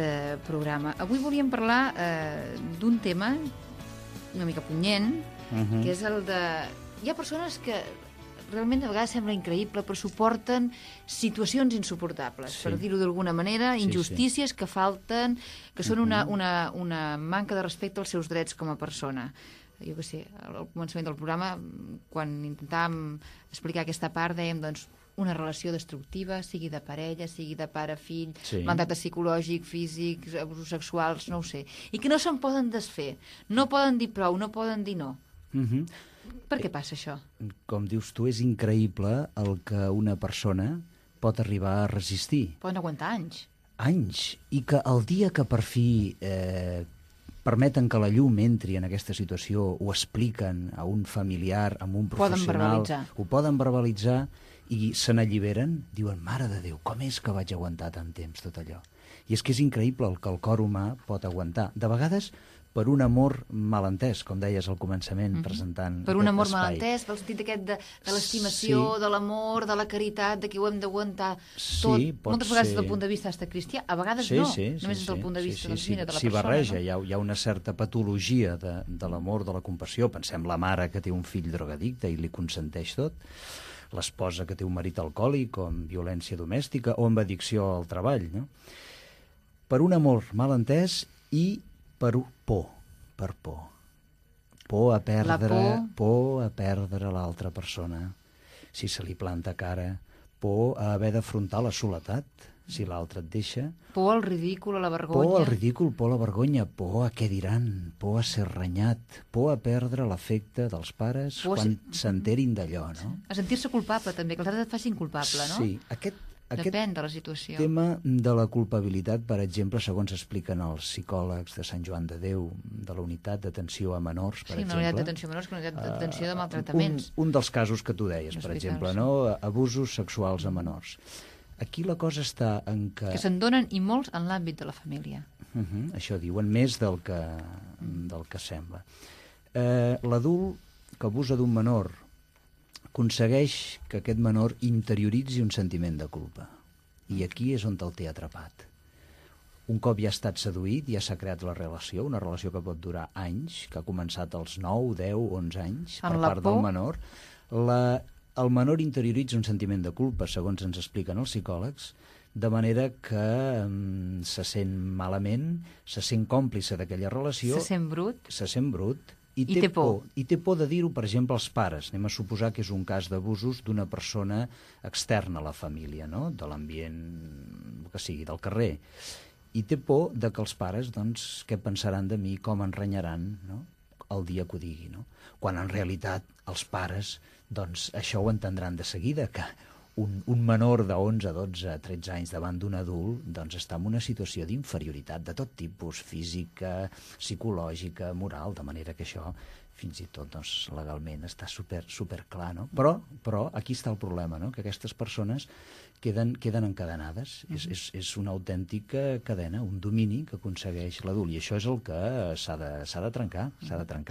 programa. Avui volíem parlar d'un tema una mica punyent, que és el de... Hi ha persones que realment a vegades sembla increïble, però suporten situacions insuportables, per dir-ho d'alguna manera, injustícies que falten, que són una manca de respecte als seus drets com a persona. Jo què sé, al començament del programa, quan intentàvem explicar aquesta part, dèiem, doncs, una relació destructiva, sigui de parella, sigui de pare-fill, maltracte psicològic, físic, abusos sexuals, no ho sé, i que no se'n poden desfer, no poden dir prou, no poden dir no. Per què passa això? Com dius tu, és increïble el que una persona pot arribar a resistir. Poden aguantar anys. Anys. I que el dia que per fi permeten que la llum entri en aquesta situació, ho expliquen a un familiar, a un professional, ho poden verbalitzar i se n'alliberen, diuen, mare de Déu, com és que vaig aguantar tant temps tot allò? I és que és increïble el que el cor humà pot aguantar. De vegades per un amor malentès, com deies al començament, presentant aquest espai. Per un amor malentès, pel sentit aquest de l'estimació, de l'amor, de la caritat, de que ho hem d'aguantar tot. Moltes vegades des del punt de vista cristià, a vegades no, només des del punt de vista de la persona. S'hi barreja, hi ha una certa patologia de l'amor, de la compassió. Pensem la mare que té un fill drogadicte i li consenteix tot, l'esposa que té un marit alcohòlic o amb violència domèstica o amb addicció al treball, no? Per un amor malentès i per por. Por a perdre l'altra persona si se li planta cara, por a haver d'afrontar la soledat si l'altre et deixa. Por al ridícul, a la vergonya. Por al ridícul, por a la vergonya, por a què diran, por a ser renyat, por a perdre l'afecte dels pares quan s'enterin d'allò, no? A sentir-se culpable, també, que els altres et facin culpable, no? Sí, depèn de la situació. Tema de la culpabilitat, per exemple, segons expliquen els psicòlegs de Sant Joan de Déu, de la unitat d'atenció a menors, per exemple. Sí, una unitat d'atenció a menors, que una unitat d'atenció de maltractaments. Un dels casos que tu deies, per exemple, no? Abusos sexuals a menors. Aquí la cosa està en que... Que se'n donen i molts en l'àmbit de la família. Això diuen, més del que sembla. L'adult que abusa d'un menor aconsegueix que aquest menor interioritzi un sentiment de culpa. I aquí és on el té atrapat. Un cop ja ha estat seduït, ja s'ha creat la relació, una relació que pot durar anys, que ha començat als 9, 10, 11 anys, per part del menor. El menor interioritza un sentiment de culpa, segons ens expliquen els psicòlegs, de manera que se sent malament, se sent còmplice d'aquella relació. Se sent brut. Se sent brut. I té por. I té por de dir-ho, per exemple, als pares. Anem a suposar que és un cas d'abusos d'una persona externa a la família, no? De l'ambient, que sigui, del carrer. I té por de que els pares, doncs, què pensaran de mi, com em renyaran, no? El dia que ho digui, no? Quan en realitat els pares, doncs, això ho entendran de seguida, que un menor de 11, 12, 13 anys davant d'un adult doncs està en una situació d'inferioritat de tot tipus, física, psicològica, moral, de manera que això fins i tot doncs, legalment està super clar, no? Però aquí està el problema, no? Que aquestes persones queden encadenades. És una autèntica cadena, un domini que aconsegueix l'adult, i això és el que s'ha de trencar. A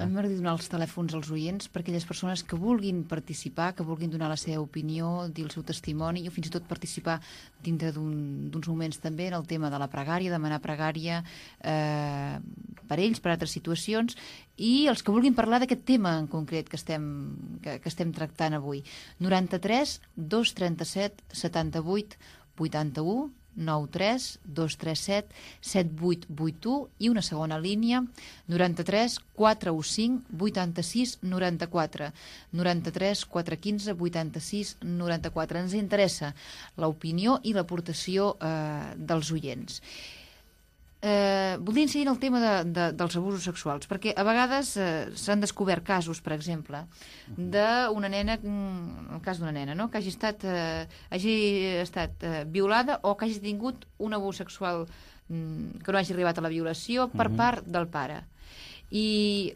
mi m'agradaria donar els telèfons als oients per aquelles persones que vulguin participar, que vulguin donar la seva opinió, dir el seu testimoni, o fins i tot participar dintre d'uns moments també en el tema de la pregària, demanar pregària per ells, per altres situacions, i els que vulguin parlar d'aquest tema en concret que estem tractant avui. 93 237 78 81 93 237 7881 i una segona línia 93 415 86 94 93 415 86 94. Ens interessa l'opinió i l'aportació dels oients. Voldria incidir en el tema dels abusos sexuals, perquè a vegades s'han descobert casos, per exemple, d'una nena, el cas d'una nena, no?, que hagi estat violada o que hagi tingut un abús sexual que no hagi arribat a la violació per part del pare. I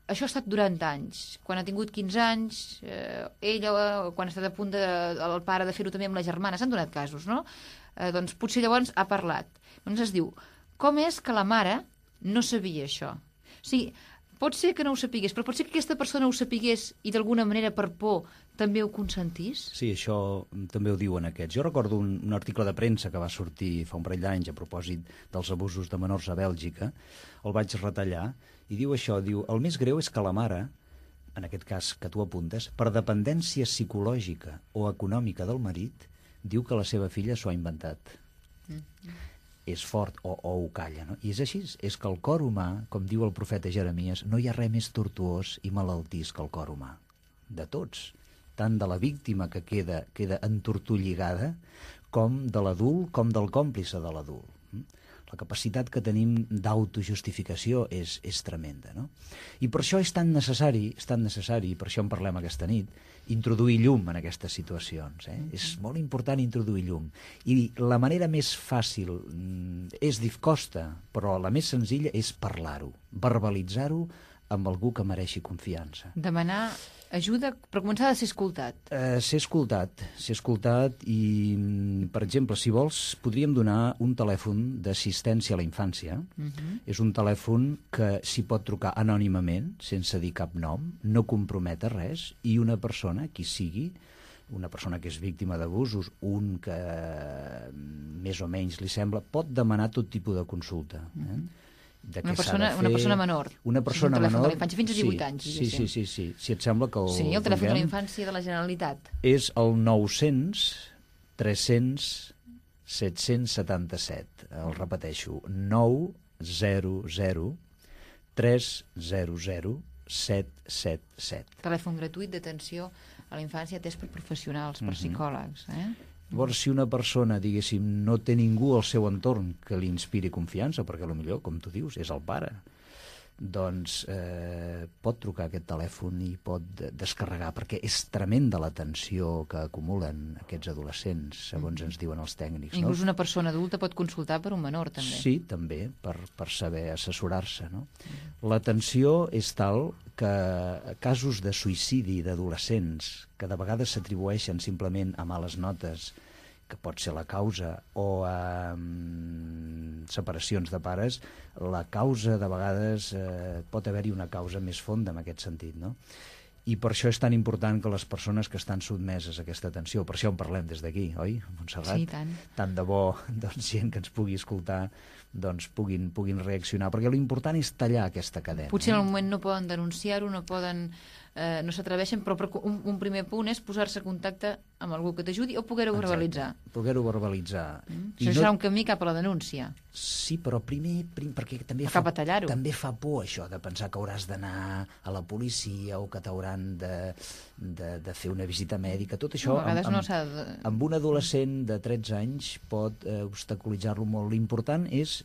això ha estat durant anys. Quan ha tingut 15 anys, ella, quan ha estat a punt el pare de fer-ho també amb la germana, s'han donat casos, no? Doncs potser llavors ha parlat. Doncs es diu, com és que la mare no sabia això? O sigui, pot ser que no ho sapigués, però pot ser que aquesta persona ho sapigués i d'alguna manera per por també ho consentís? Sí, això també ho diuen aquests. Jo recordo un article de premsa que va sortir fa un parell d'anys a propòsit dels abusos de menors a Bèlgica. El vaig retallar i diu això, diu, el més greu és que la mare, en aquest cas que tu apuntes, per dependència psicològica o econòmica del marit, diu que la seva filla s'ho ha inventat. És fort o ho calla, no? I és així, és que el cor humà, com diu el profeta Jeremies, no hi ha res més tortuós i malaltís que el cor humà. De tots, tant de la víctima que queda entortolligada, com de l'adult, com del còmplice de l'adult. La capacitat que tenim d'autojustificació és tremenda, no? I per això és tan necessari, i per això en parlem aquesta nit, introduir llum en aquestes situacions. És molt important introduir llum. I la manera més fàcil costa, però la més senzilla és parlar-ho, verbalitzar-ho amb algú que mereixi confiança. Demanar ajuda, però començar a ser escoltat. Ser escoltat i, per exemple, si vols, podríem donar un telèfon d'assistència a la infància. És un telèfon que s'hi pot trucar anònimament, sense dir cap nom, no comprometa res, i una persona, qui sigui, una persona que és víctima d'abusos, un que més o menys li sembla, pot demanar tot tipus de consulta. Una persona menor. Una persona menor. De la infància fins a 18 anys. Sí. Si et sembla que Sí, el telèfon de la infància de la Generalitat. És el 900 300 777. El repeteixo. 900 300 777. Telèfon gratuït d'atenció a la infància atès per professionals, per psicòlegs. Llavors, si una persona, diguéssim, no té ningú al seu entorn que li inspiri confiança, perquè potser, com tu dius, és el pare, doncs pot trucar a aquest telèfon i pot descarregar, perquè és tremenda la tensió que acumulen aquests adolescents, segons ens diuen els tècnics. Inclús una persona adulta pot consultar per un menor, també. Sí, també, per saber assessorar-se, no? La tensió és tal que casos de suïcidi d'adolescents, que de vegades s'atribueixen simplement a males notes, que pot ser la causa, o a separacions de pares, la causa de vegades pot haver-hi una causa més fonda en aquest sentit, no? I per això és tan important que les persones que estan sotmeses a aquesta atenció, per això en parlem des d'aquí, oi, Montserrat? Sí, tant. Tant de bo, doncs, gent que ens pugui escoltar doncs puguin reaccionar, perquè l'important és tallar aquesta cadena. Potser en el moment no poden denunciar-ho, no s'atreveixen, però un primer punt és posar-se en contacte amb algú que t'ajudi o poder-ho verbalitzar. Poder-ho verbalitzar. Això serà un camí cap a la denúncia. Sí, però primer perquè també fa por això de pensar que hauràs d'anar a la policia o que t'hauran de fer una visita mèdica. Tot això amb un adolescent de 13 anys pot obstaculitzar-lo molt. L'important és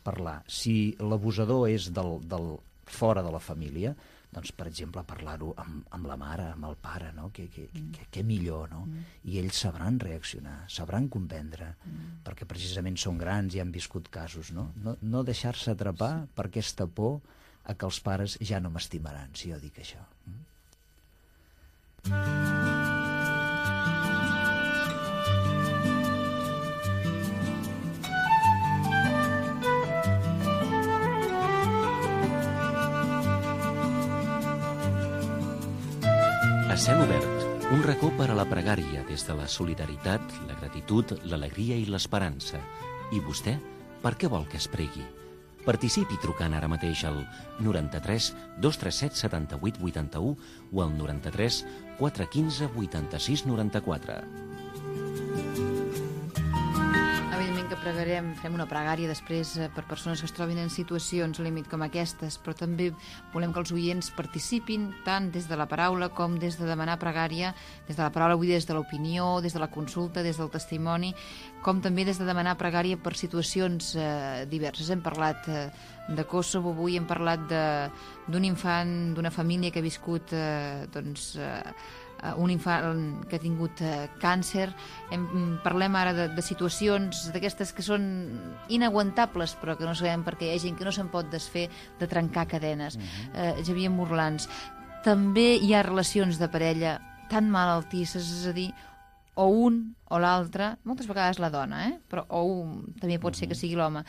parlar. Si l'abusador és del fora de la família, doncs, per exemple, parlar-ho amb la mare, amb el pare, no? Què millor, no? I ells sabran reaccionar, sabran comprendre, perquè precisament són grans i han viscut casos, no? No deixar-se atrapar per aquesta por a que els pares ja no m'estimaran, si jo dic això. cel obert, un racó per a la pregària des de la solidaritat, la gratitud, l'alegria i l'esperança. I vostè, per què vol que es pregui? Participi trucant ara mateix al 93 237 78 81 o al 93 415 86 94. Evidentment que pregarem, fem una pregària després per persones que es trobin en situacions límit com aquestes, però també volem que els oients participin tant des de la paraula com des de demanar pregària, des de la paraula avui des de l'opinió, des de la consulta, des del testimoni, com també des de demanar pregària per situacions diverses. Hem parlat de Kosovo, avui hem parlat d'un infant, d'una família que ha viscut un infant que ha tingut càncer. Parlem ara de situacions d'aquestes que són inaguantables, però que no sabem perquè hi ha gent que no se'n pot desfer de trencar cadenes. Xavier Morlans, també hi ha relacions de parella tan malaltisses, és a dir, o un o l'altre, moltes vegades la dona, però també pot ser que sigui l'home,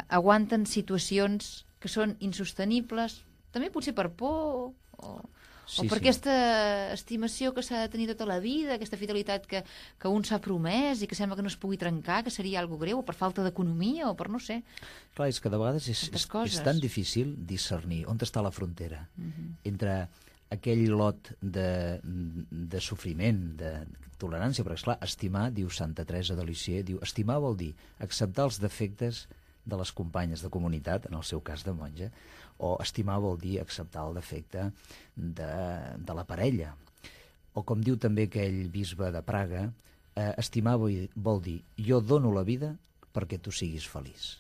aguanten situacions que són insostenibles, també potser per por o per aquesta estimació que s'ha de tenir tota la vida, aquesta fidelitat que un s'ha promès i que sembla que no es pugui trencar, que seria algo greu, o per falta d'economia, o per no sé. Clar, és que de vegades és tan difícil discernir on està la frontera entre aquell lot de sofriment, de tolerància, perquè, esclar, estimar, diu Santa Teresa de Lisieux, diu, estimar vol dir acceptar els defectes de les companyes de comunitat, en el seu cas de monja, o estimar vol dir acceptar el defecte de la parella. O com diu també aquell bisbe de Praga, estimar vol dir jo dono la vida perquè tu siguis feliç.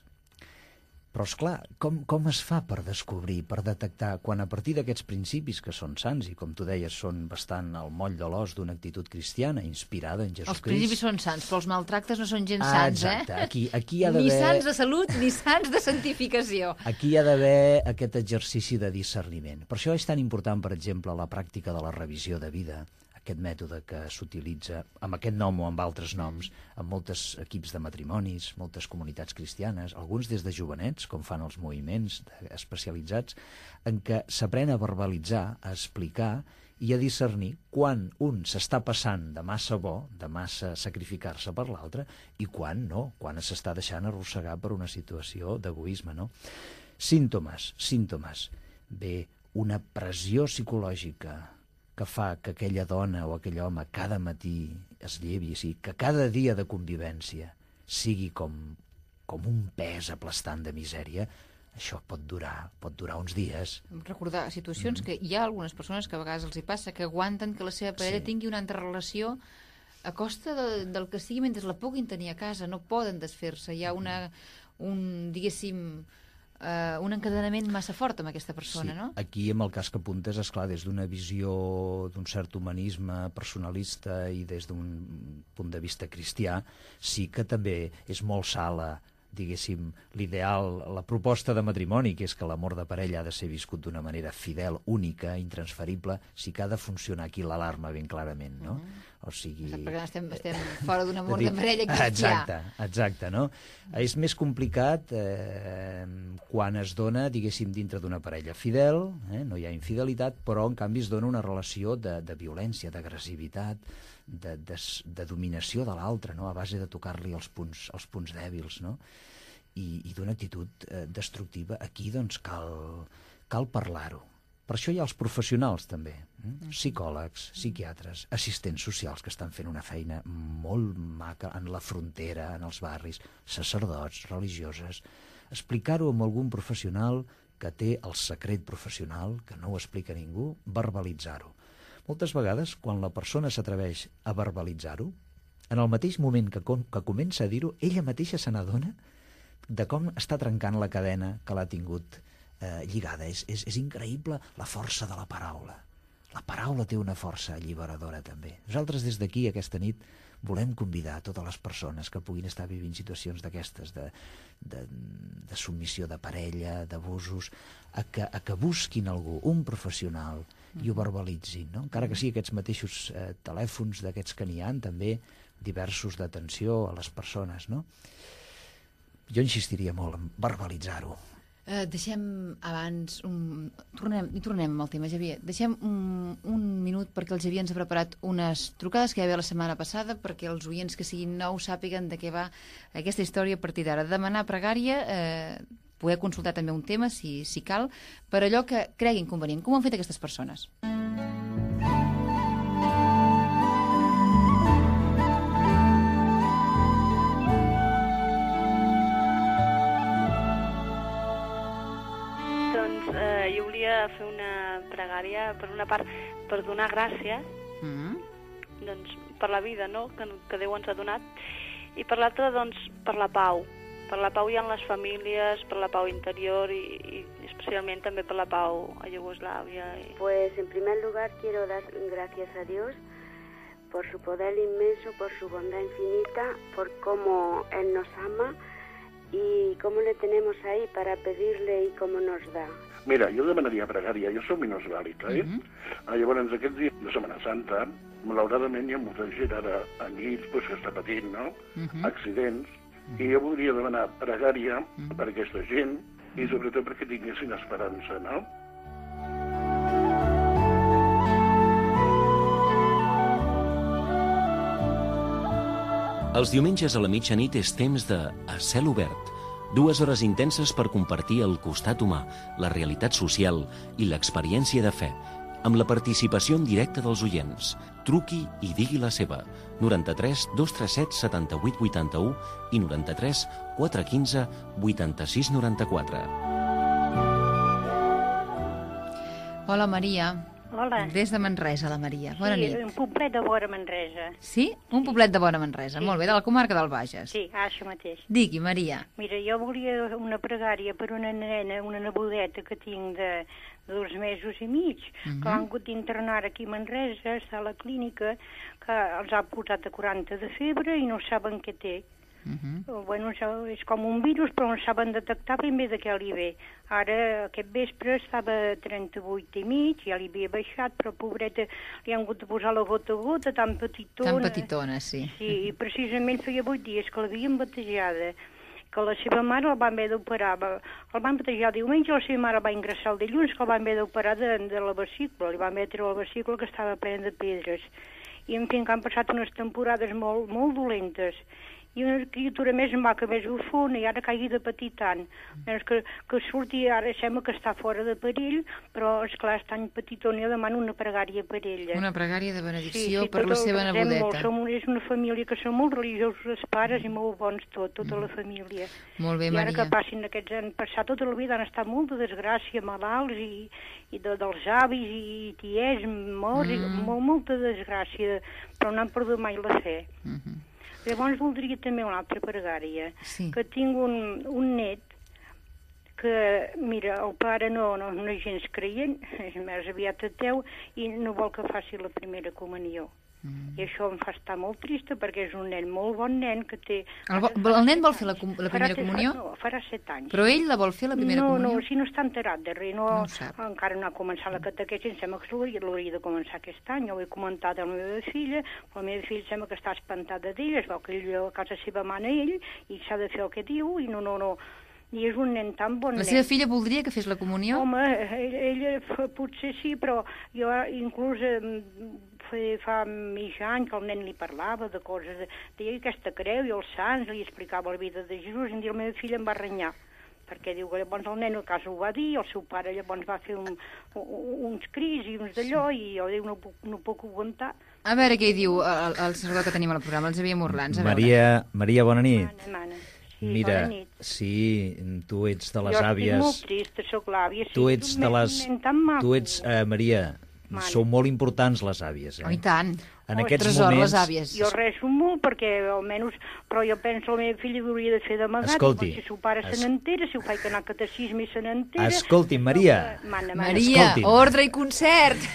Però, esclar, com es fa per descobrir, per detectar, quan a partir d'aquests principis que són sants i, com tu deies, són bastant al moll de l'os d'una actitud cristiana, inspirada en Jesucrist... Els principis són sants, però els maltractes no són gens sants, exacte. Aquí hi ha d'haver... Ni sants de salut, ni sants de santificació. Aquí hi ha d'haver aquest exercici de discerniment. Per això és tan important, per exemple, la pràctica de la revisió de vida, aquest mètode que s'utilitza amb aquest nom o amb altres noms, en molts equips de matrimonis, moltes comunitats cristianes, alguns des de jovenets, com fan els moviments especialitzats, en què s'aprèn a verbalitzar, a explicar i a discernir quan un s'està passant de massa bo, de massa sacrificar-se per l'altre, i quan no, quan s'està deixant arrossegar per una situació d'egoisme, no? Símptomes. Bé, una pressió psicològica que fa que aquella dona o aquell home cada matí es llevi, que cada dia de convivència sigui com un pes aplastant de misèria, això pot durar uns dies. Recordar situacions que hi ha algunes persones que a vegades els hi passa, que aguanten que la seva parella tingui una altra relació a costa del que sigui mentre la puguin tenir a casa, no poden desfer-se. Hi ha un encadenament massa fort amb aquesta persona, no? Aquí, amb el cas que apuntes, esclar, des d'una visió d'un cert humanisme personalista i des d'un punt de vista cristià, sí que també és molt sala, diguéssim, l'ideal, la proposta de matrimoni, que és que l'amor de parella ha de ser viscut d'una manera fidel, única, intransferible, sí que ha de funcionar aquí l'alarma ben clarament, no? O sigui... Perquè estem fora d'un amor de parella cristià. Exacte, no? És més complicat quan es dona, diguéssim, dintre d'una parella fidel, no hi ha infidelitat, però en canvi es dona una relació de violència, d'agressivitat, de dominació de l'altre, no? A base de tocar-li els punts dèbils, no? I d'una actitud destructiva. Aquí, doncs, cal parlar-ho. Per això hi ha els professionals, també. Psicòlegs, psiquiatres, assistents socials que estan fent una feina molt maca en la frontera, en els barris, sacerdots, religioses. Explicar-ho amb algun professional que té el secret professional, que no ho explica ningú, verbalitzar-ho. Moltes vegades, quan la persona s'atreveix a verbalitzar-ho, en el mateix moment que comença a dir-ho, ella mateixa se n'adona de com està trencant la cadena que l'ha tingut lligada. És increïble la força de la paraula. La paraula té una força alliberadora, també. Nosaltres, des d'aquí, aquesta nit, volem convidar totes les persones que puguin estar vivint situacions d'aquestes, de submissió de parella, d'abusos, a que busquin algú, un professional, i ho verbalitzin, no? Encara que sigui aquests mateixos telèfons d'aquests que n'hi ha, també diversos d'atenció a les persones, no? Jo insistiria molt en verbalitzar-ho. Deixem abans... Tornem amb el tema, Xavier. Deixem un minut perquè el Xavier ens ha preparat unes trucades que hi va haver la setmana passada perquè els oients que siguin nous sàpiguen de què va aquesta història a partir d'ara. Demanar pregària, poder consultar també un tema, si cal, per allò que creguin convenient. Com ho han fet aquestes persones? Jo volia fer una pregària, per una part, per donar gràcies doncs, per la vida, no?, que Déu ens ha donat, i per l'altra, doncs, per la pau hi ha en les famílies, per la pau interior y especialmente también per la pau a Yugoslavia. Pues en primer lugar quiero dar gracias a Dios por su poder inmenso, por su bondad infinita, por cómo Él nos ama y cómo le tenemos ahí para pedirle y cómo nos da. Mira, jo demanaria pregària, jo soc minusvàlid, Llavors, aquests dies de Setmana Santa, malauradament hi ha molta gent ara en llits que està patint, no?, accidents, i jo voldria demanar pregària per aquesta gent i sobretot perquè tinguessin esperança, no? Els diumenges a la mitjanit és temps de A Cel Obert. 2 hores intenses per compartir el costat humà, la realitat social i l'experiència de fe, amb la participació en directe dels oients. Truqui i digui la seva. 93 237 78 81 i 93 415 86 94. Hola, Maria. Hola. Des de Manresa, la Maria. Bona nit. Sí, un poblet de vora Manresa. Sí? Un poblet de vora Manresa. Sí. Molt bé, de la comarca del Bages. Sí, això mateix. Digui, Maria. Mira, jo volia una pregària per una nena, una nebodeta que tinc de 2 mesos i mig, que l'han hagut d'internar aquí a Manresa, està a la clínica, que els ha posat a 40 de febre i no saben què té. Bueno, és com un virus, però no saben detectar ben bé de què li ve. Ara, aquest vespre, estava a 38 i mig, ja li havia baixat, però pobreta, li han hagut de posar la gota a gota, tan petitona. Tan petitona, sí. Sí, i precisament feia 8 dies que l'havien batejada, que la seva mare el van haver d'operar. El van batejar diumenge, la seva mare va ingressar el dilluns, que el van haver d'operar de la vesícula. Li van haver de treure la vesícula, que estava plena de pedres. I, en fi, que han passat unes temporades molt, molt dolentes. I una criatura més maca, més bufona, i ara caigui de patir tant. Que surti, ara sembla que està fora de perill, però, esclar, és tan petitona, jo demano una pregària per ella. Una pregària de benedicció per la seva nebodeta. És una família que són molt religiosos els pares i molt bons tota la família. Molt bé, Maria. I ara que passin aquests anys passat tota la vida han estat molt de desgràcia, malalts i dels avis i tiets, morts, molta desgràcia, però no han perdut mai la fe. Llavors voldria també una altra pregària, que tinc un net que, mira, el pare no és gens creient, és més aviat ateu, i no vol que faci la primera comunió. I això em fa estar molt trista perquè és un nen, molt bon nen, que té... El nen vol fer la primera comunió? No, farà 7 anys. Però ell la vol fer la primera comunió? No, si no està enterat de res, encara no ha començat la catequesi, em sembla que l'hauria de començar aquest any, ho he comentat a la meva filla, però la meva filla sembla que està espantada d'ell, es veu que ell a casa seva mana ell, i s'ha de fer el que diu, i no... I és un nen tan bon nen. La seva filla voldria que fes la comunió? Home, ella potser sí, però jo inclús fa mig any que el nen li parlava de coses, deia aquesta creu i els sants, li explicava la vida de Jesús, i un dia la meva filla em va renyar, perquè diu que llavors el nen a casa ho va dir, el seu pare llavors va fer uns crits i uns d'allò, i jo diu, no puc aguantar. A veure què hi diu el sacerdot que tenim al programa, el Xavier Morlans. Maria, bona nit. Mana. Sí, mira, sí, tu ets de les àvies... Jo estic molt trista, soc l'àvia. Tu ets de les... Tu ets, Maria, sou molt importants les àvies, Oh, i tant. En aquests tresor, moments... les àvies. Jo rezo molt perquè, almenys... Però jo penso la meva filla hauria de fer d'amagat. Escolti... Si el seu pare se n'entera, si ho faig anar a catecisme i se n'entera... Escolti, Maria... Maria, ordre i concert!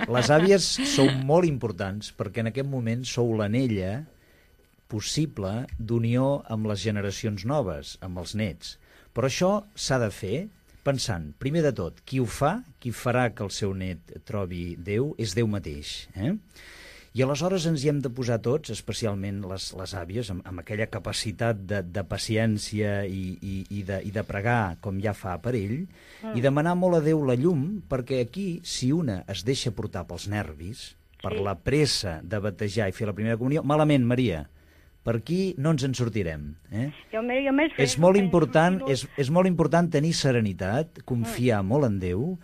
Les àvies sou molt importants perquè en aquest moment sou l'anella possible d'unió amb les generacions noves, amb els nets. Però això s'ha de fer pensant, primer de tot, qui ho fa, qui farà que el seu net trobi Déu, és Déu mateix. I aleshores ens hi hem de posar tots, especialment les àvies, amb aquella capacitat de paciència i de pregar com ja fa per ell, i demanar molt a Déu la llum, perquè aquí, si una es deixa portar pels nervis, per la pressa de batejar i fer la primera comunió, malament, Maria. Per aquí no ens en sortirem. És molt important tenir serenitat, confiar molt en Déu,